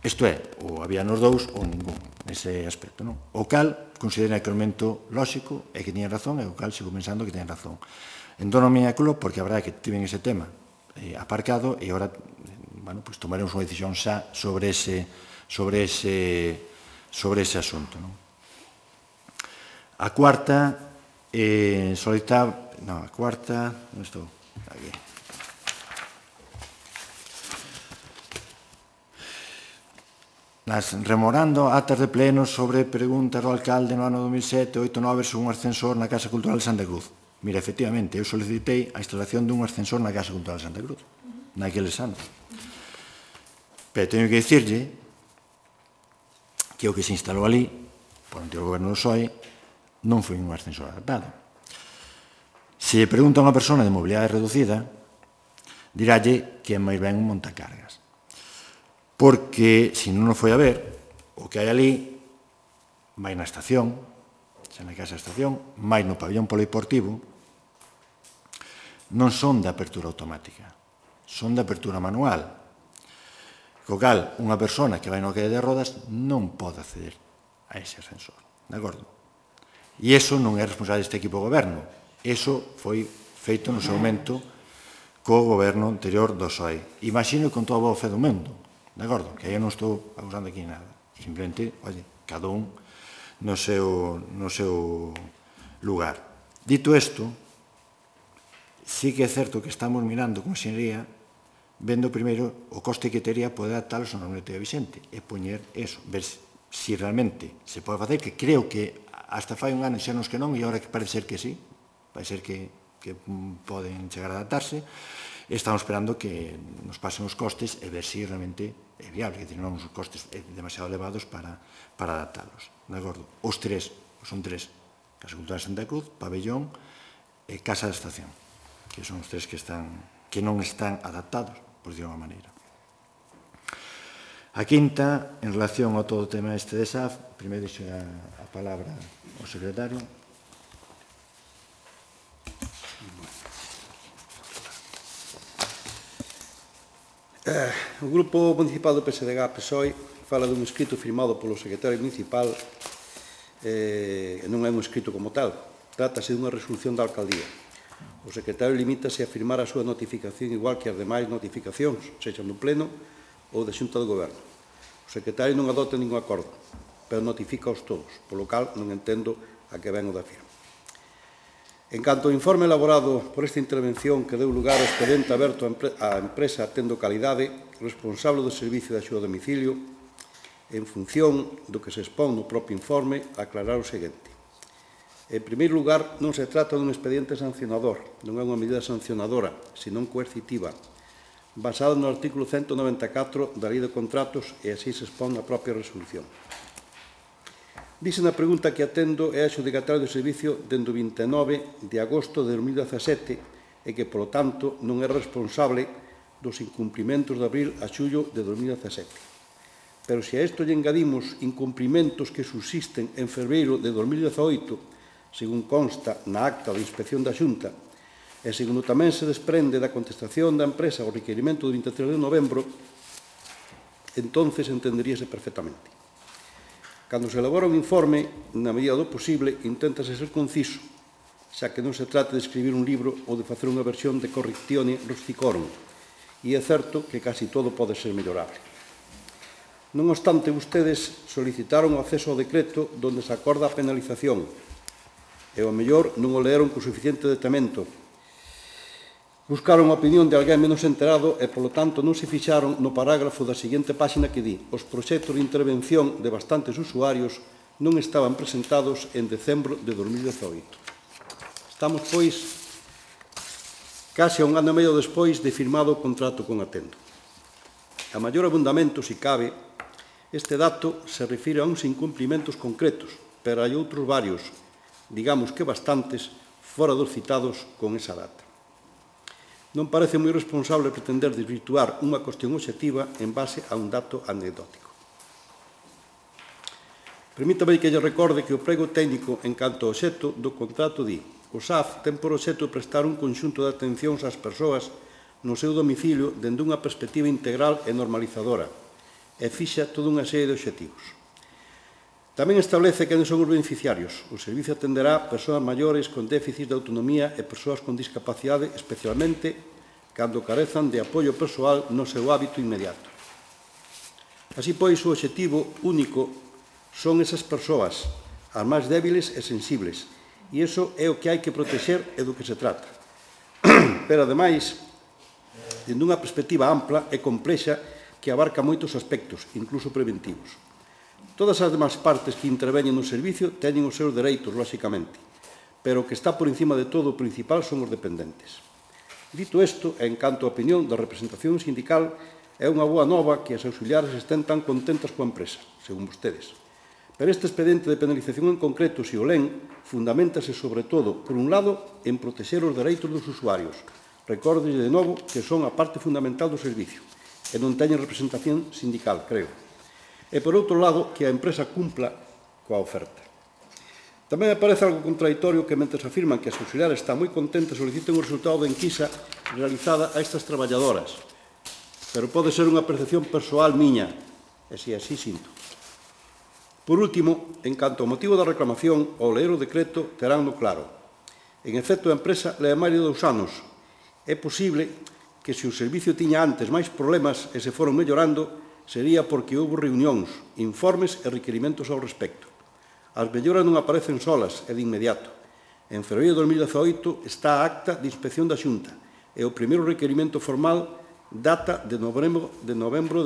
Isto é, ou había nos dous ou ningún, nese aspecto. O cal considera que o elemento lóxico é que tiña razón e o cal sigo pensando que tiña razón. Entón, a miña club, porque a verdade é que tiven ese tema aparcado e agora tomaremos unha decisión xa sobre ese asunto. A cuarta, a cuarta, onde estou? Aquí. Rememorando actas de pleno sobre preguntas ao alcalde no ano 2007, 8-9 sobre un ascensor na Casa Cultural de Santa Cruz. Mira, efectivamente, eu solicitei a instalación dun ascensor na Casa Cultural de Santa Cruz, naqueles anos. Pero teño que dicirlle que o que se instalou ali, por o anterior goberno do PSOE, non foi un ascensor adaptado. Se lle pregunta a unha persona de mobilidade reducida, dirálle que é máis ben un montacargas. Porque, se non o foi a ver, o que hai ali, máis na estación, xa na casa da estación, máis no pabellón polideportivo, non son de apertura automática, son de apertura manual. Co cal, unha persona que vai no calle de rodas non pode acceder. a ese ascensor. De acordo? E iso non é responsable deste equipo de goberno. Iso foi feito no seu momento co goberno anterior do PSOE. Imagino con toda a boa fe do mundo. De acordo? Que aí non estou acusando aquí nada. Simplemente, oye, cada un no seu lugar. Dito isto, sí que é certo que estamos mirando con xenería, vendo primeiro o coste que teria poder adaptalos ao normativa vixente e poñer eso, ver se realmente se pode facer, que creo que hasta fai un ano xernos que non e agora que parece ser que sí, parece ser que poden chegar a adaptarse. Estamos esperando que nos pasen os costes e ver se realmente é viable, que non os costes demasiado elevados para adaptalos. De acordo? Os tres, son tres, Casa Cultural de Santa Cruz, Pabellón e Casa da Estación, que son os tres que non están adaptados, por decirlo de unha maneira. A quinta, en relación ao todo o tema este de SAF, primeiro deixo a palabra ao secretario. O Grupo Municipal do PSDG-PSOE fala dun escrito firmado polo secretario municipal e non é un escrito como tal. Trátase dunha resolución da alcaldía. O secretario limítase a firmar a súa notificación igual que as demais notificacións, sexa no Pleno ou da Xunta do Goberno. O secretario non adopta ningún acordo, pero notificaos todos, polo cal non entendo a que ven o da firma. En canto ao informe elaborado por esta intervención que deu lugar ao expediente aberto á empresa Tendo Calidade, responsable do servicio de axuda a domicilio, en función do que se expón no propio informe, aclarar o seguinte. En primeiro lugar, non se trata dun expediente sancionador, non é unha medida sancionadora, senón coercitiva, basada no artículo 194 da Lei de Contratos e así se expón na propia resolución. Dice na pregunta que atendo é adxudicatario do servicio dende o 29 de agosto de 2017 e que, polo tanto, non é responsable dos incumprimentos de abril a xullo de 2017. Pero se a isto lle engadimos incumprimentos que subsisten en febreiro de 2018, según consta na acta de inspección da Xunta, e segundo tamén se desprende da contestación da empresa ao requerimento do 23 de novembro, entonces entenderíase perfectamente. Cando se elabora un informe, na medida do posible, inténtase ser conciso, xa que non se trata de escribir un libro ou de facer unha versión de correctione rusticorum, e é certo que casi todo pode ser mellorable. Non obstante, vostedes solicitaron o acceso ao decreto donde se acorda a penalización, e ao mellor non o leeron con suficiente detemento. Buscaron a opinión de alguén menos enterado e, polo tanto, non se fixaron no parágrafo da seguinte páxina que di: os proxectos de intervención de bastantes usuarios non estaban presentados en decembro de 2018. Estamos, pois, case a un ano e medio despois de firmado o contrato con Atendo. A maior abundamento, se cabe, este dato se refire a uns incumprimentos concretos, pero hai outros varios, digamos que bastantes, fora dos citados con esa data. Non parece moi responsable pretender desvirtuar unha cuestión obxectiva en base a un dato anecdótico. Permítame que lle recorde que o prego técnico en canto ao obxecto do contrato di: o SAF ten por obxecto prestar un conxunto de atencións ás persoas no seu domicilio dende unha perspectiva integral e normalizadora e fixa toda unha serie de obxectivos. Tamén establece quen son os beneficiarios. O servicio atenderá persoas maiores con déficit de autonomía e persoas con discapacidade, especialmente cando carezan de apoio persoal no seu hábito inmediato. Así pois, o obxectivo único son esas persoas, as máis débiles e sensibles, e iso é o que hai que protexer e do que se trata. Pero, ademais, dende unha perspectiva ampla e complexa que abarca moitos aspectos, incluso preventivos. Todas as demais partes que interveñen no servicio teñen os seus dereitos, lóxicamente, pero o que está por encima de todo o principal son os dependentes. Dito isto, en canto a opinión da representación sindical, é unha boa nova que as auxiliares estén tan contentas coa empresa, según vostedes. Pero este expediente de penalización en concreto, se o len, fundamentase sobre todo, por un lado, en protexer os dereitos dos usuarios. Recórdelle de novo que son a parte fundamental do servicio e non teñen representación sindical, creo. E, por outro lado, que a empresa cumpla coa oferta. Tamén me parece algo contradictorio que, mentre afirman que as auxiliares están moi contentas, soliciten o resultado da enquisa realizada a estas traballadoras. Pero pode ser unha percepción persoal miña, e se así sinto. Por último, en canto ao motivo da reclamación, ao ler o decreto teránno claro. En efecto, a empresa leva máis de 2 anos. É posible que se o servicio tiña antes máis problemas e se foron mellorando, sería porque houve reunións, informes e requerimentos ao respecto. As melloras non aparecen solas e de inmediato. En febreiro de 2018 está a acta de inspección da Xunta e o primeiro requerimento formal data de novembro de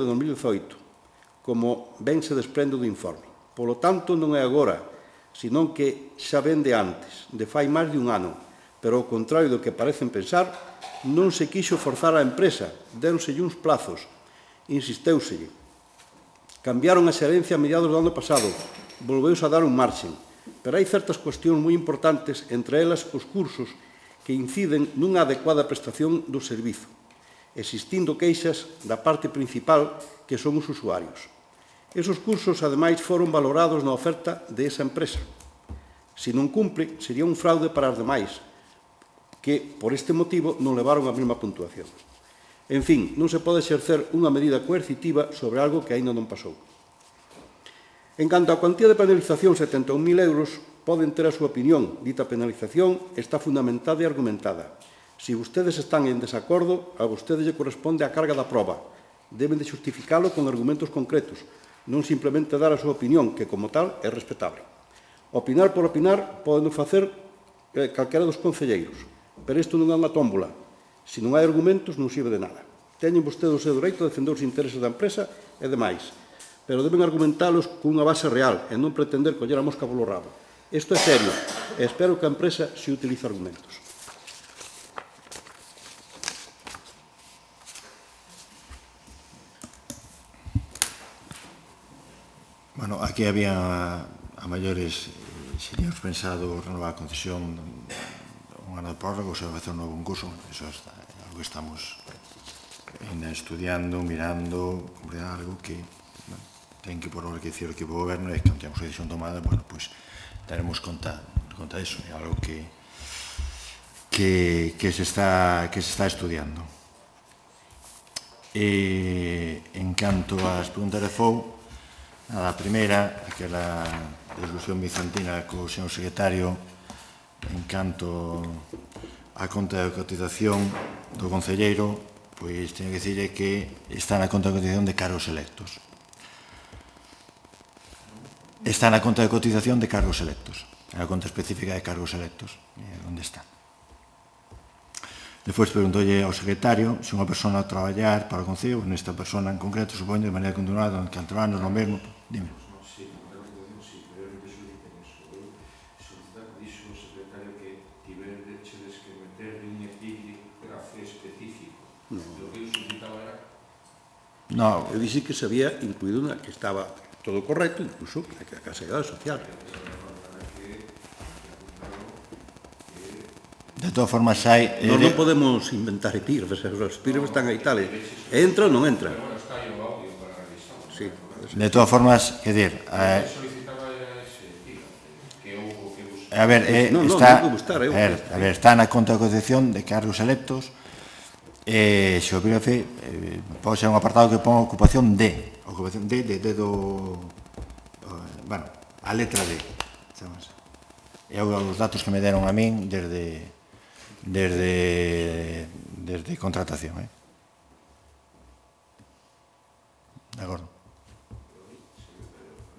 2018, como ben se desprende do informe. Polo tanto, non é agora, senón que xa ven de antes, de fai máis de 1 ano, pero ao contrario do que parecen pensar, non se quixo forzar a empresa, déronselle uns plazos, insisteuselle. Cambiaron a xerencia a mediados do ano pasado, volveuse a dar un marxen, pero hai certas cuestións moi importantes, entre elas os cursos que inciden nunha adecuada prestación do servizo, existindo queixas da parte principal que son os usuarios. Esos cursos, ademais, foron valorados na oferta de esa empresa. Se non cumpre, sería un fraude para as demais, que, por este motivo, non levaron a mesma puntuación. En fin, non se pode exercer unha medida coercitiva sobre algo que aínda non pasou. En canto á cuantía de penalización, 71.000 euros, poden ter a súa opinión. Dita penalización está fundamentada e argumentada. Se vostedes están en desacordo, a vostedes lle corresponde a carga da proba. Deben de justificalo con argumentos concretos, non simplemente dar a súa opinión, que, como tal, é respetable. Opinar por opinar poden facer calquera dos concelleiros, pero isto non é unha tómbola. Se non hai argumentos, non sirve de nada. Teñen vostedes o seu dereito a defender os intereses da empresa e demais, pero deben argumentalos con unha base real e non pretender coller a mosca polo rabo. Isto é serio e espero que a empresa se utilice argumentos. Bueno, aquí había a maiores, seríamos pensado renovar a concesión un ano de prórroga ou se vai facer un novo concurso. Eso é algo que estamos estudiando, mirando, algo que ten que por hora que decir o equipo de goberno e que non temos a decisión tomada, bueno, pois daremos conta disso. É algo que se está estudiando. En canto ás preguntas de FOU, a primeira, aquela discusión bizantina co señor secretario en canto á conta de cotización do concelleiro, pois teño que dicirle que está na conta de cotización de cargos electos. Está na conta de cotización de cargos electos, na conta específica de cargos electos, onde está. Despois preguntolle ao secretario se unha persona a traballar para o Concello, nesta persona en concreto, supoño, de maneira continuada, durante 4 anos, non mesmo, dime. Sí, pero realmente soliciten eso. Solicitar que dixo o secretario que tiverdechedes que meter un epígrafe específico. O que eu solicitaba era... No, eu dixi que se había incluído unha que estaba todo correcto, incluso a Seguridade Social. De todas formas, hai... Non podemos inventar epígrafes, os epígrafes están aí tal. Entra ou non entra? Sí. De todas formas, quer dir... A ver, está na conta de cotización de cargos electos, se o epígrafe pode ser un apartado que ponga ocupación D, ocupación D do... Bueno, a letra D. É os datos que me deron a min desde contratación. De acordo.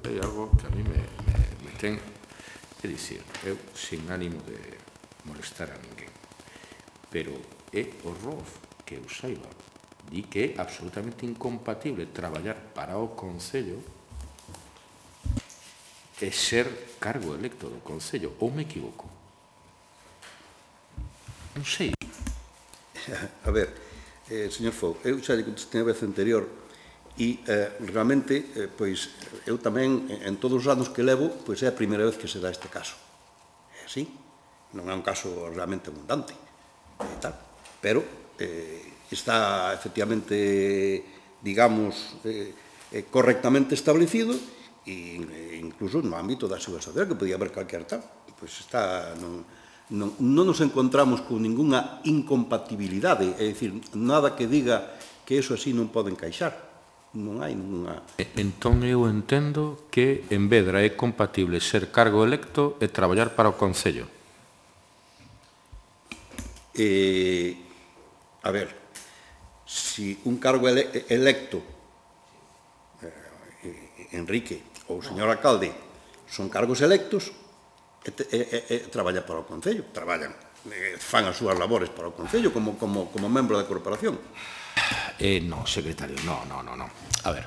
Hai algo que a mí me ten, é dicir, eu sin ánimo de molestar a ninguén, pero é o ROF que eu saiba, di que é absolutamente incompatible traballar para o Concello e ser cargo electo do Concello, ou me equivoco? Non sei. A ver, señor Fou, eu xa lle contestei a vez anterior e realmente, pois, eu tamén, en todos os anos que levo, pois é a primeira vez que se dá este caso. É así, non é un caso realmente abundante, tal, pero está efectivamente, digamos, correctamente establecido e incluso no ámbito da Seguridade Social, que podía haber calquer tal, pois está... Non nos encontramos con ninguna incompatibilidade, é dicir, nada que diga que eso así non pode encaixar. Non hai ninguna... Entón eu entendo que en Vedra é compatible ser cargo electo e traballar para o Concello. A ver, si un cargo electo, Enrique ou o señor alcalde, son cargos electos, traballa para o Concello, traballan, fan as súas labores para o Concello como membro da corporación. Non, secretario, non. A ver,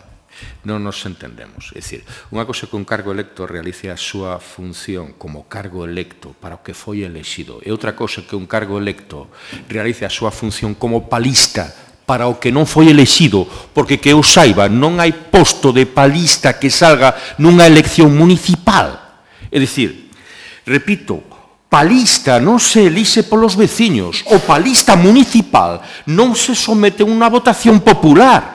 non nos entendemos. É dicir, unha cosa que un cargo electo realice a súa función como cargo electo para o que foi elexido, e outra cosa que un cargo electo realice a súa función como palista para o que non foi elexido, porque que eu saiba, non hai posto de palista que salga nunha elección municipal. É dicir, repito, palista non se elixe polos veciños, o palista municipal non se somete a unha votación popular.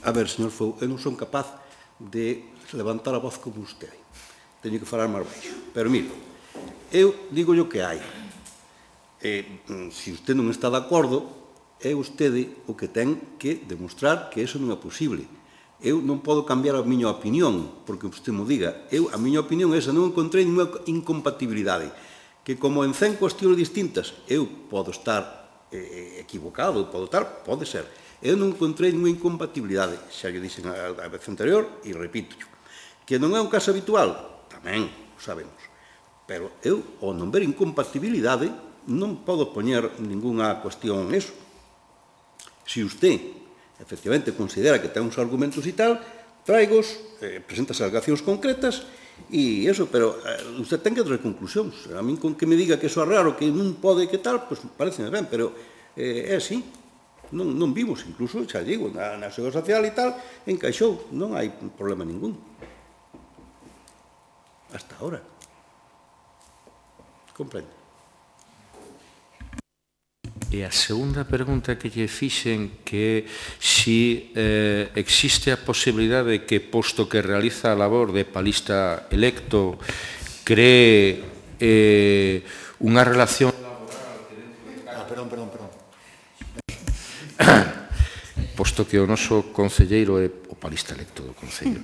A ver, señor Fou, eu non son capaz de levantar a voz como usted. Teño que falar máis baixo. Pero, mire, eu digo o que hai. Se usted non está de acordo, é usted o que ten que demostrar que eso non é posible. Eu non podo cambiar a miña opinión, porque usted mo diga. A miña opinión é esa, non encontrei ninguna incompatibilidade. Que como en 100 cuestións distintas, eu podo estar equivocado, pode ser. Eu non encontrei ninguna incompatibilidade. Xa lle dixen a vez anterior, e repito. Que non é un caso habitual, tamén o sabemos. Pero eu, ao non ver incompatibilidade, non podo poñer ninguna cuestión en eso. Se usted, efectivamente, considera que ten uns argumentos e tal, traigos, presenta as alegacións concretas e eso, pero usted ten que traer conclusións. A min con que me diga que eso é raro, que non pode, que tal, pois pareceme ben, pero é así. Non vimos, incluso, xa digo, na Seguridade Social e tal, encaixou, non hai problema ningún. Hasta ahora. Comprende? E a segunda pregunta que lle fixen que si existe a posibilidade de que, posto que realiza a labor de palista electo, cree unha relación laboral que dentro de casa... Perdón. Posto que o noso concelleiro é o palista electo do Concello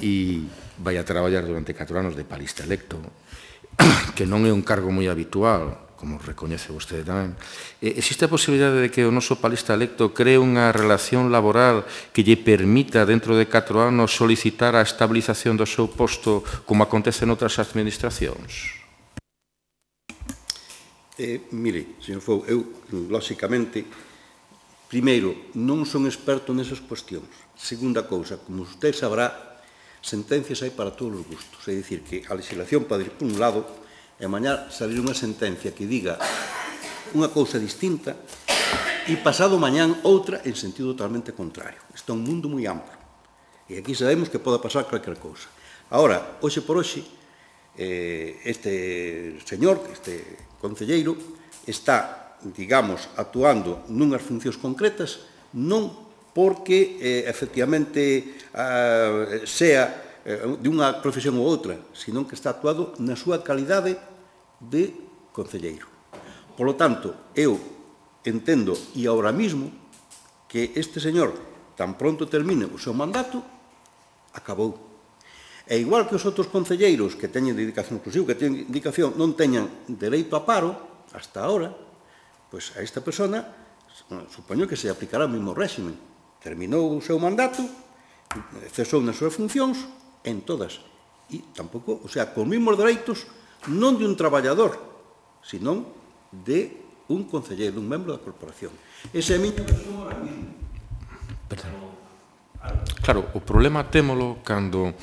e vai a traballar durante 4 anos de palista electo, que non é un cargo moi habitual, como recoñece vostede tamén, existe a posibilidade de que o noso palista electo cree unha relación laboral que lle permita, dentro de 4 anos, solicitar a estabilización do seu posto como acontece noutras administracións? Mire, señor Fou, eu, lóxicamente, primeiro, non son experto nesas cuestións. Segunda cousa, como usted sabrá, sentencias hai para todos os gustos. É dicir, que a legislación pode ir por un lado e mañá salir unha sentencia que diga unha cousa distinta e pasado mañán outra en sentido totalmente contrario. Isto é un mundo moi amplo. E aquí sabemos que pode pasar calquer cousa. Ahora, hoxe por hoxe, este señor, este concelleiro, está, digamos, actuando nunhas funcións concretas, non porque, efectivamente, sea de unha profesión ou outra, sino que está actuado na súa calidade de concelleiro. Por lo tanto, eu entendo, e ahora mismo, que este señor, tan pronto termine o seu mandato, acabou. E igual que os outros concelleiros que teñen dedicación exclusiva, que teñen dedicación, non teñan dereito a paro, hasta ahora, pois a esta persona, supoño que se aplicará o mesmo réximen. Terminou o seu mandato, cesou nas súas funcións, en todas. E tampouco, o sea, con mesmos dereitos, non de un traballador, sino de un concelleiro, un membro da corporación. Ese é a miña versión ahora mismo. Claro, o problema témolo cando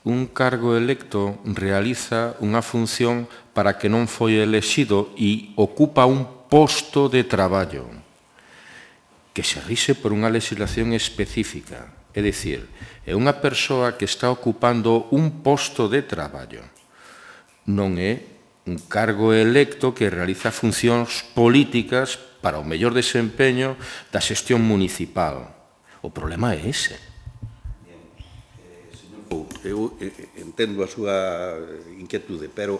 un cargo electo realiza unha función para que non foi elexido e ocupa un posto de traballo que se rixe por unha legislación específica. É dicir, é unha persoa que está ocupando un posto de traballo. Non é un cargo electo que realiza funcións políticas para o mellor desempeño da xestión municipal. O problema é ese. Eu entendo a súa inquietude, pero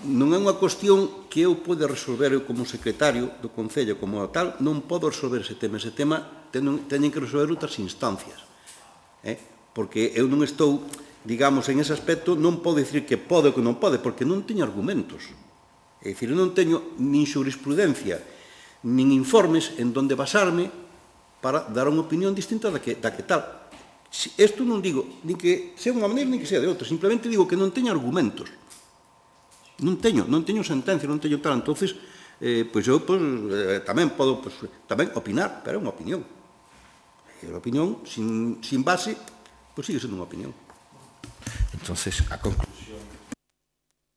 non é unha cuestión que eu poida resolver eu como secretario do Concello, como tal, non podo resolver ese tema. Ese tema teñen que resolver outras instancias. Porque eu non estou, digamos, en ese aspecto, non podo dicir que pode ou que non pode, porque non teño argumentos. É dicir, eu non teño nin jurisprudencia, nin informes en donde basarme para dar unha opinión distinta da que tal. Isto non digo nin que sea unha maneira nin que sea de outra, simplemente digo que non teño argumentos. Non teño sentencia, non teño tal. Entonces, pois eu tamén podo tamén opinar, pero é unha opinión. E a opinión, sin base, pois sigue sendo unha opinión. Entonces, a conclusión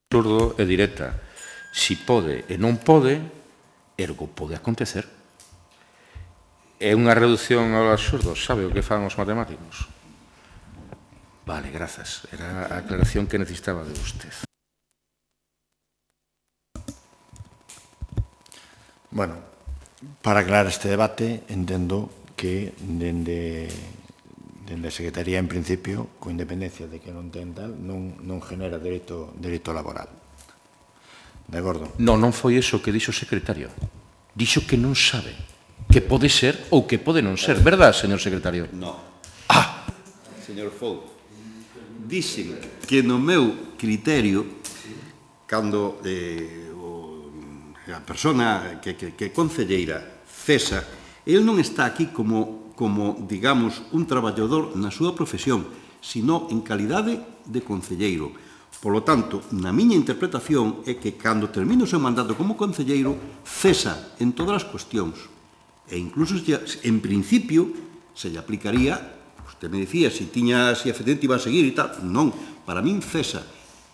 absurdo e directa. Si pode e non pode, ergo pode acontecer. É unha reducción ao absurdo, sabe o que fan os matemáticos? Vale, grazas. Era a aclaración que necesitaba de usted. Bueno, para aclarar este debate, entendo que dende a Secretaría, en principio, con independencia de que non ten tal, non genera dereito laboral. De acordo? Non foi iso que dixo o secretario. Dixo que non sabe, que pode ser ou que pode non ser. Verdad, señor secretario? Non. Señor Fou, dixen que no meu criterio, cando a persona que é concelleira cesa, el non está aquí como, digamos, un traballador na súa profesión, sino en calidade de concelleiro. Por lo tanto, na miña interpretación é que cando termine o seu mandato como concelleiro, cesa en todas as cuestións. E incluso, en principio, se lle aplicaría, usted me decía, se efectivamente iba a seguir e tal. Non, para min cesa.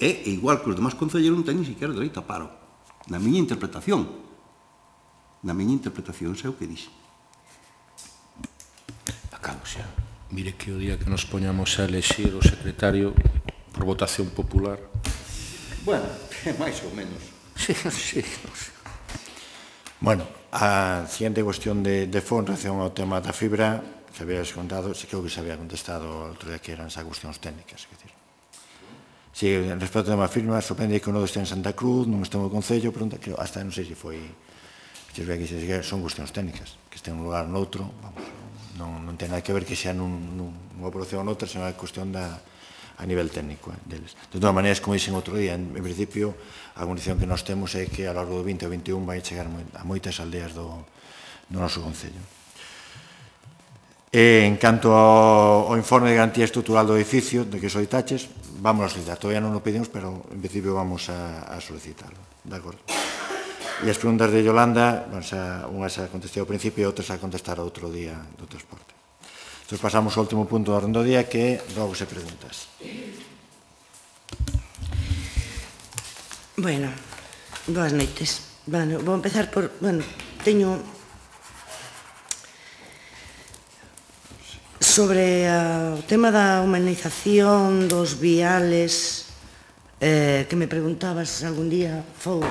É igual que os demás concelleiros non ten ni siquiera dereito a paro. Na miña interpretación. Na miña interpretación, sei o que dixe. Acabo xa. Mire que o día que nos poñamos a elexir o secretario por votación popular. Bueno, máis ou menos. Sí. Bueno, a siguiente cuestión de fondo en relación ao tema da fibra, que habías contado, sí, creo que se había contestado outro día que eran esas cuestións técnicas. Si, respecto ao tema fibra, sorprende que o nodo este en Santa Cruz, non este no Concello, pregunta que hasta non sei se foi, son cuestións técnicas, que este en un lugar noutro, vamos, non ten nada que ver que sea nunha produción ou noutra, senón é cuestión a nivel técnico deles. De todas maneiras, como dixen outro día, en principio, a condición que nós temos é que a lo largo do 20 ou 21 vai chegar a moitas aldeas do noso Concello. En canto ao informe de garantía estrutural do edificio, de que solicitaches, vamos a solicitar. Todavía non o pedimos, pero en principio vamos a solicitarlo. De acordo. E as preguntas de Yolanda, unha xa contestei ao principio e outra xa contestar outro día do transporte. Entón, pasamos ao último punto do orden do día, que é rogos e preguntas. Bueno, boas noites. Bueno, vou empezar por... Bueno, teño... Sobre o tema da humanización dos viales que me preguntabas algún día, Fou,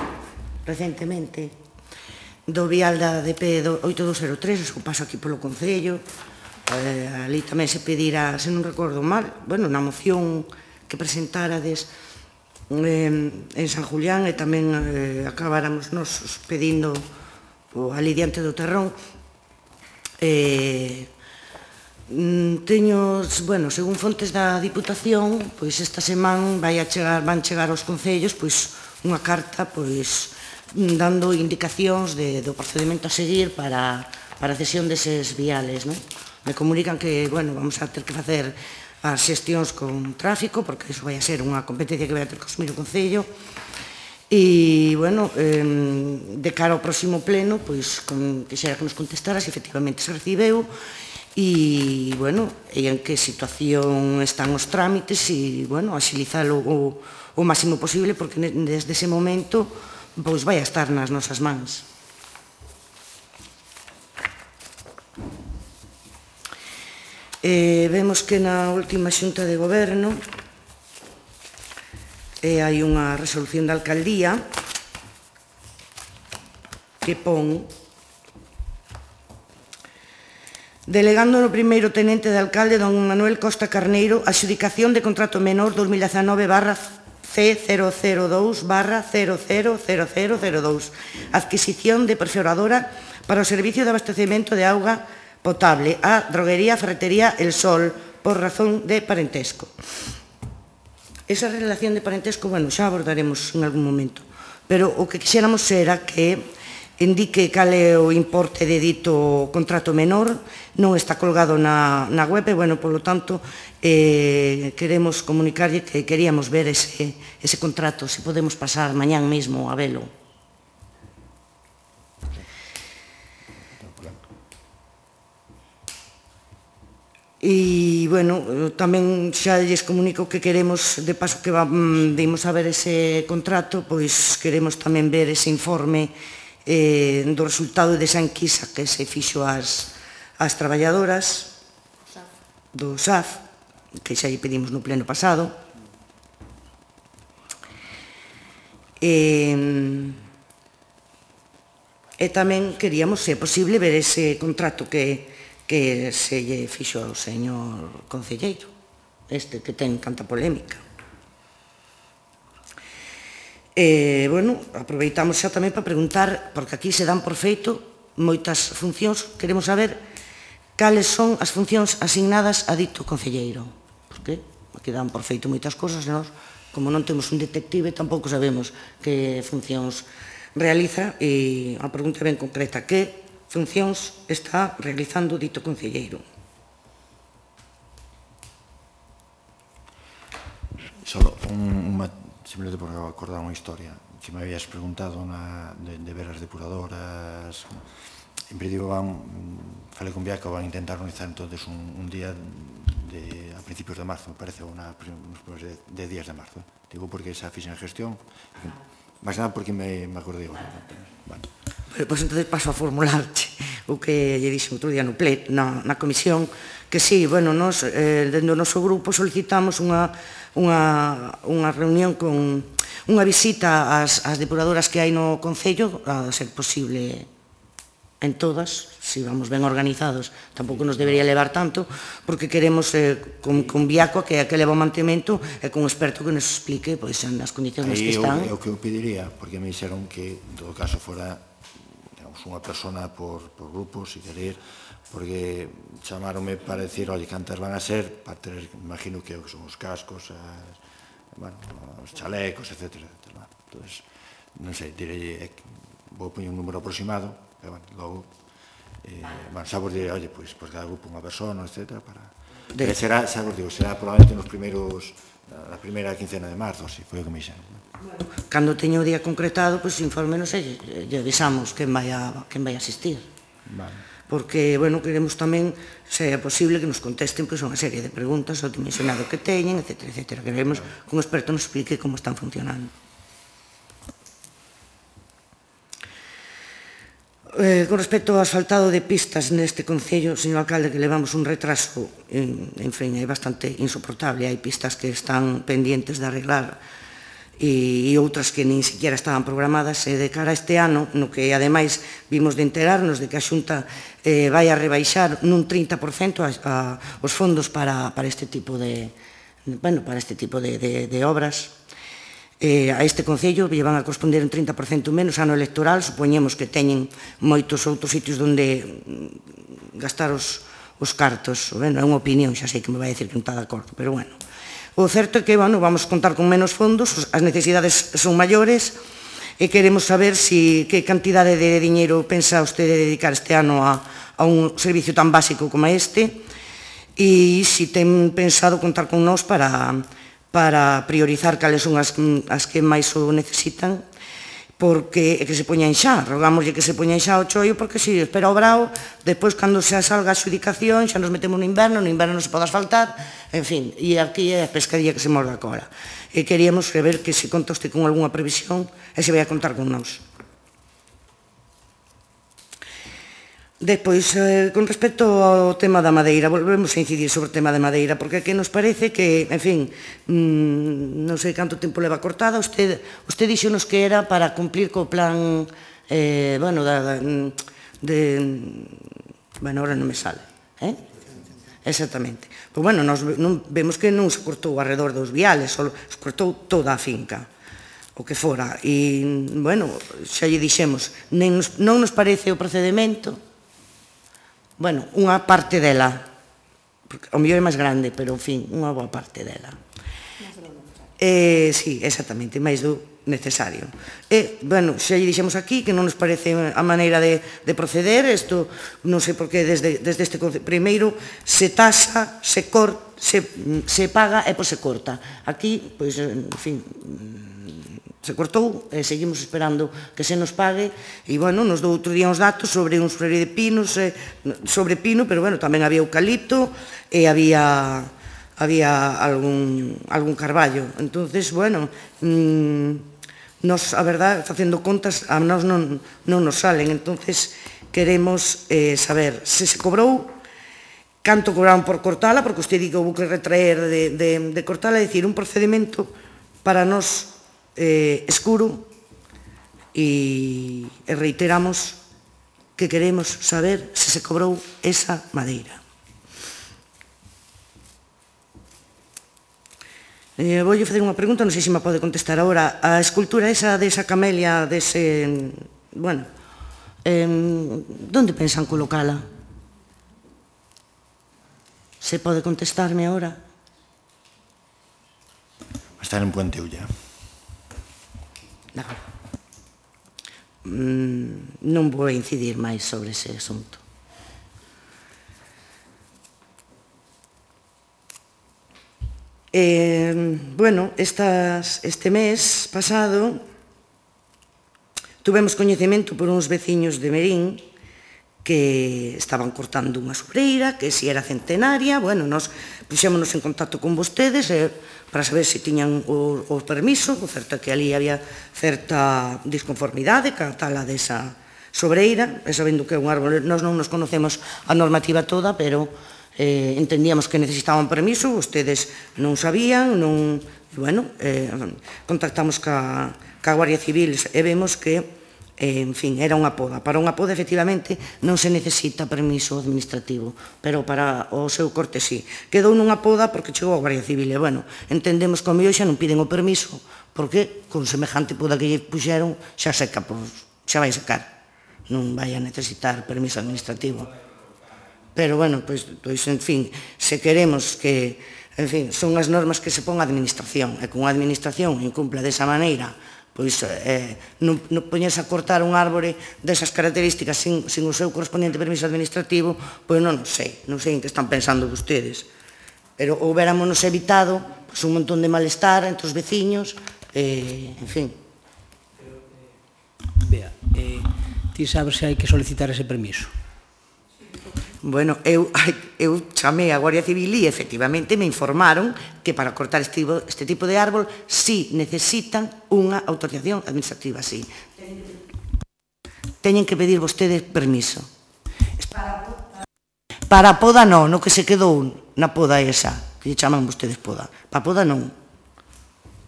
recentemente, do vial da DP 8203, o paso aquí polo Concello, ali tamén se pedirá, se non recordo mal, bueno, na moción que presentárades en San Julián e tamén acabáramos nos pedindo ali diante do terrón. Teño, bueno, según fontes da Diputación, pois esta semana van chegar aos concellos pois unha carta pois dando indicacións do procedimento a seguir para a cesión deses viales, non? Me comunican que, bueno, vamos a ter que facer as xestións con tráfico, porque iso vai a ser unha competencia que vai a ter que asumir o Concello. E, bueno, de cara ao próximo pleno, pois, quixera que nos contestara se efectivamente se recibeu e, bueno, en que situación están os trámites e, bueno, axilizalo o máximo posible, porque desde ese momento, pois, vai a estar nas nosas mans. Vemos que na última xunta de goberno hai unha resolución da alcaldía que pon: delegando no primeiro tenente de alcalde don Manuel Costa Carneiro a adxudicación de contrato menor 2019/C002/000002, adquisición de perforadora para o servicio de abastecemento de auga potable á droguería Ferretería El Sol por razón de parentesco. Esa relación de parentesco, bueno, xa abordaremos en algún momento, pero o que quixéramos era que indique cal é o importe de dito contrato menor, non está colgado na web, e, bueno, polo tanto, queremos comunicarlle que queríamos ver ese contrato, se podemos pasar mañán mesmo a velo. E, bueno, tamén xa lles comunico que queremos, de paso que vimos a ver ese contrato, pois queremos tamén ver ese informe do resultado desa enquisa que se fixo ás traballadoras do SAF, que xa lle pedimos no pleno pasado. E tamén queríamos, se é posible, ver ese contrato que se lle fixo ao señor concelleiro, este que ten tanta polémica. Bueno, aproveitamos xa tamén para preguntar, porque aquí se dan por feito moitas funcións, queremos saber cales son as funcións asignadas a dito concelleiro, porque aquí dan por feito moitas cosas, e nós, como non temos un detective, tampouco sabemos que funcións realiza, e a pregunta ben concreta, que funcións está realizando dito concelleiro? Solo simplemente porque acordar unha historia que me habías preguntado de ver as depuradoras. En principio falei con Biaco, van a intentar organizar entonces un día a principios de marzo, me parece, ou nos primeiros de días de marzo. Digo porque esa fixen gestión, máis nada porque me acordei. Pois entón paso a formularte o que lle dixo outro día na comisión, que sí, bueno, nos, dentro do noso grupo solicitamos unha reunión con unha visita ás depuradoras que hai no Concello, a ser posible en todas, se vamos ben organizados, tampouco nos debería levar tanto, porque queremos con Biaco que leva o mantemento e con un experto que nos explique as condicións nas que están. É o que eu pediría, porque me dixeron que en todo caso fora unha persona por grupo, se querer, porque chamaronme para decir, oye, cantas van a ser, para ter, imagino que son os cascos, os chalecos, etc. Entón, non sei, direi, vou poñer un número aproximado, e, logo, xa vos direi, oye, pois cada grupo unha persona, etc. Será, xa vos digo, será probablemente nos primeiros, na primeira quincena de marzo, así, foi o que me dixeron. Cando teño o día concretado, pois infórmenos e lle avisamos quen vai asistir. Porque, bueno, queremos tamén, se é posible, que nos contesten unha serie de preguntas ao dimensionado que teñen, etc. Queremos que un experto nos explique como están funcionando. Con respecto ao asfaltado de pistas neste Concello, señor alcalde, que levamos un retraso, en fin, é bastante insoportable. Hai pistas que están pendientes de arreglar e outras que nin siquiera estaban programadas, e de cara a este ano, no que ademais vimos de enterarnos de que a Xunta vai a rebaixar nun 30% os fondos para este tipo de obras. A este Concello lle van a corresponder un 30% menos ano electoral, supoñemos que teñen moitos outros sitios onde gastar os cartos. É unha opinión, xa sei que me vai dicir que non está de acordo, pero bueno. O certo é que vamos contar con menos fondos, as necesidades son maiores, e queremos saber que cantidade de diñeiro pensa usted dedicar este ano a un servicio tan básico como este, e se ten pensado contar con nós para priorizar cales son as que máis o necesitan, porque que se poñan xa, rogámoslle que se poñan xa o choio, porque se espera o brao, depois cando xa salga a xudicación, xa nos metemos no inverno non se pode asfaltar, en fin, e aquí é a pescadilla que se morde a cola. E queríamos ver que se conta usted con algunha previsión e se vai a contar con nós. Despois, con respecto ao tema da madeira, volvemos a incidir sobre o tema da madeira, porque aquí nos parece que, en fin, non sei canto tempo leva cortada, usted dixonos que era para cumplir co plan, bueno, ahora non me sale, exactamente. Pois, bueno, vemos que non se cortou alrededor dos viales, só se cortou toda a finca, o que fora, e, bueno, xa lle dixemos, non nos parece o procedimento, bueno, unha parte dela, porque ao mellor é máis grande, pero, en fin, unha boa parte dela. Sí, exactamente, máis do necesario. Bueno, xa lle dixemos aquí que non nos parece a maneira de proceder, isto non sei por que desde este primeiro se tasa, se paga e pois se corta. Aquí, pois, en fin, se cortou e seguimos esperando que se nos pague e, bueno, nos dou outro día uns datos sobre uns flores de pinos, sobre pino, pero, bueno, tamén había eucalipto e había algún carballo. Entonces, bueno, nos, a verdad, facendo contas, a nós non nos salen. Entonces, queremos saber se se cobrou, canto cobraron por cortala, porque usted di que houve que retraer de cortala, é dicir, un procedimento para nós escuro e reiteramos que queremos saber se se cobrou esa madeira. Voulle facer unha pregunta, non sei se me pode contestar agora. A escultura esa desa camelia, dese... Bueno, onde pensan colocala? Se pode contestarme agora? Está en Puente Ulla. Non vou incidir máis sobre ese asunto. Bueno, este mes pasado tuvemos coñecemento por uns veciños de Merín que estaban cortando unha sobreira, que si era centenaria. Bueno, nos puxémonos en contacto con vostedes para saber se tiñan o permiso, o certo que ali había certa disconformidade ca tala desa sobreira, e sabendo que é un árbol, nós non nos conocemos a normativa toda, pero entendíamos que necesitaban permiso, ustedes non sabían, bueno, contactamos ca Guardia Civil e vemos que, en fin, era unha poda. Para unha poda, efectivamente, non se necesita permiso administrativo, pero para o seu corte sí. Quedou nunha poda porque chegou a Guardia Civil e, bueno, entendemos que ao mellor xa non piden o permiso porque con semejante poda que lle puxeron xa seca, xa vai secar, non vai a necesitar permiso administrativo. Pero, bueno, pois, en fin, se queremos que, en fin, son as normas que se pon a administración, e con a administración incumpla desa maneira, pois, non poñerse a cortar un árbore desas características sin o seu correspondiente permiso administrativo, pois non sei en que están pensando vostedes. Pero houberámonos evitado un montón de malestar entre os veciños, en fin. Bea, ti sabes se hai que solicitar ese permiso? Bueno, eu chamei a Guardia Civil e efectivamente me informaron que para cortar este tipo de árbol sí necesitan unha autorización administrativa, sí. Teñen que pedir vostedes permiso. Para a poda non, no que se quedou na poda esa, que lle chaman vostedes poda. Para a poda non.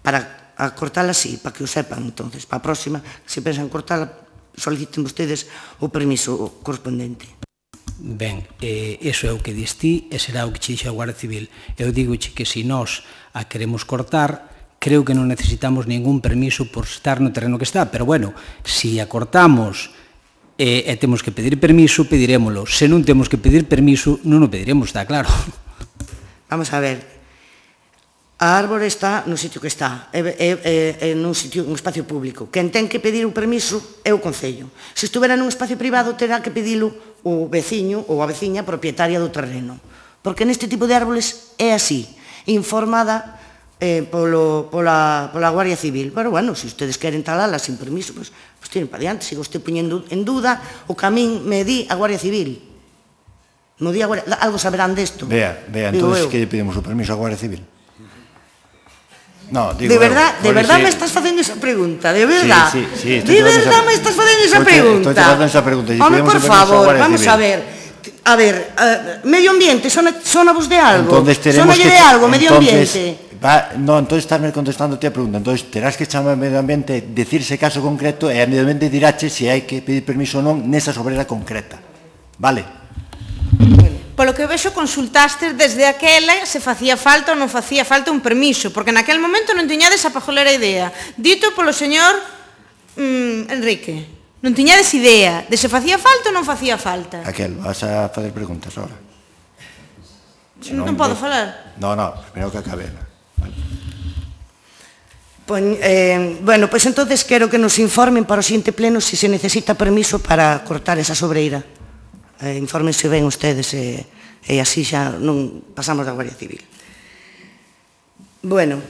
Para cortala sí, para que o sepan, entonces. Para a próxima, se pensan cortala, soliciten vostedes o permiso correspondente. Ben, iso é o que dis ti e será o que che dixo a Guardia Civil. Eu digoche que se nós a queremos cortar, creo que non necesitamos ningún permiso por estar no terreno que está, pero bueno, se a cortamos e temos que pedir permiso, pedirémolo. Se non temos que pedir permiso, non o pediremos, está claro. Vamos a ver, a árbore está no sitio que está, nun espacio público. Quen ten que pedir o permiso é o Concello. Se estuvera nun espacio privado, terá que pedilo o veciño ou a veciña propietaria do terreno. Porque neste tipo de árboles é así, informada pola Guardia Civil. Pero, bueno, se ustedes queren talala sin permiso, pues tiren para diante. Sigo usted poñendo en duda o que a min me di a Guardia Civil. No di a Guardia... Algo saberán desto. Vea, entonces que lle pedimos o permiso a Guardia Civil? No, digo, de verdad me estás facendo esa pregunta, de verdad. Sí, de verdad me estás facendo esa pregunta. Estoy facendo esa pregunta. Home, por favor, vamos a ver. A ver, medio ambiente, sona vos de algo? Sonalle de algo, medio ambiente. No, entonces estarme contestando a pregunta. Entonces terás que chamar ao medio ambiente, decirse caso concreto e a medio ambiente dirache se hai que pedir permiso ou non nesa sobrera concreta. Vale? Polo que vexo, consultaste desde aquela se facía falta ou non facía falta un permiso, porque naquel momento non tiñades a pajolera idea. Dito polo señor Enrique. Non tiñades idea de se facía falta ou non facía falta. Aquel, vas a fazer preguntas ahora. Non podo falar. No, primeiro que acabe. Bueno, pois entonces quero que nos informen para o siguiente pleno se se necesita permiso para cortar esa sobreira. Infórmense ben ustedes e así xa non pasamos da Guardia Civil. Bueno,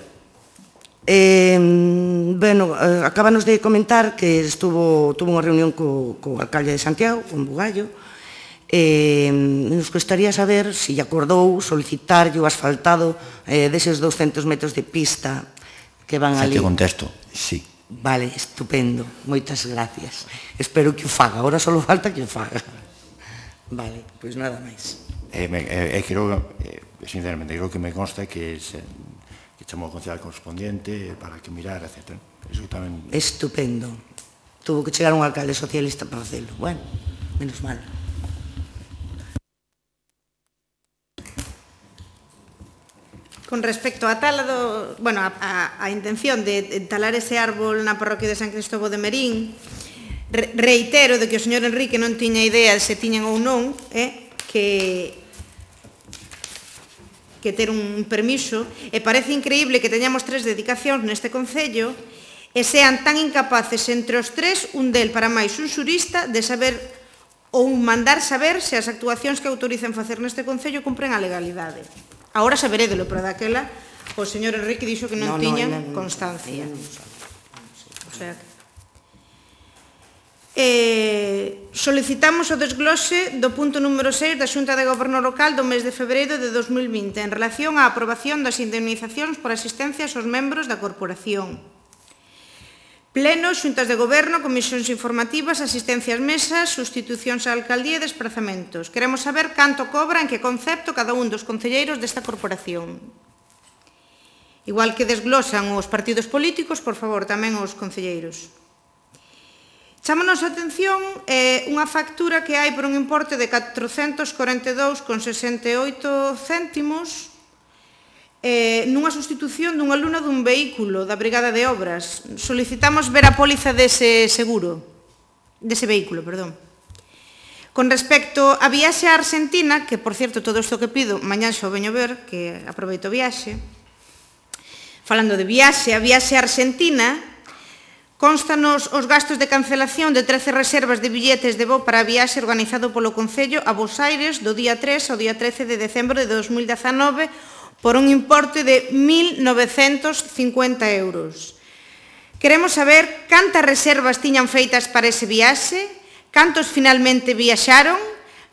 acábanos de comentar que tuvo unha reunión co alcalde de Santiago, con Bugallo. Nos gustaría saber se acordou solicitarlle o asfaltado deses 200 metros de pista que van ali. Xa te contesto, sí. Vale, estupendo, moitas gracias. Espero que o faga, agora só falta que o faga. Vale, pois nada máis. Sinceramente, creo que me consta que chamou ao concejal correspondiente para que mirara, etc. Estupendo. Tuvo que chegar un alcalde socialista para facelo. Bueno, menos mal. Con respecto á tala a intención de talar ese árbol na parroquia de San Cristóbal de Merín, reitero de que o señor Enrique non tiña idea se tiñan ou non que ter un permiso, e parece increíble que teñamos 3 dedicacións neste concello e sean tan incapaces entre os 3, un del para máis un xurista, de saber ou mandar saber se as actuacións que autorizan facer neste concello cumpren a legalidade. Agora saberédelo, pero daquela o señor Enrique dixo que non tiñan constancia. O sea que... solicitamos o desglose do punto número 6 da Xunta de Goberno Local do mes de febreiro de 2020 en relación á aprobación das indemnizacións por asistencias aos membros da corporación. Pleno, xuntas de goberno, comisións informativas, asistencias mesas, sustitucións á alcaldía e desplazamentos. Queremos saber canto cobra, en que concepto, cada un dos concelleiros desta corporación. Igual que desglosan os partidos políticos, por favor, tamén os concelleiros. Chámonos a atención unha factura que hai por un importe de 442,68 céntimos nunha sustitución dunha luna dun vehículo da Brigada de Obras. Solicitamos ver a póliza dese seguro, dese vehículo, perdón. Con respecto a viaxe a Argentina, que, por certo, todo isto que pido, mañán xo veño ver, que aproveito o viaxe, falando de viaxe, a viaxe a Argentina, constanos os gastos de cancelación de 13 reservas de billetes de voo para a viaxe organizado polo Concello a Bos Aires do día 3 ao día 13 de decembro de 2019 por un importe de 1.950 euros. Queremos saber cantas reservas tiñan feitas para ese viaxe, cantos finalmente viaxaron,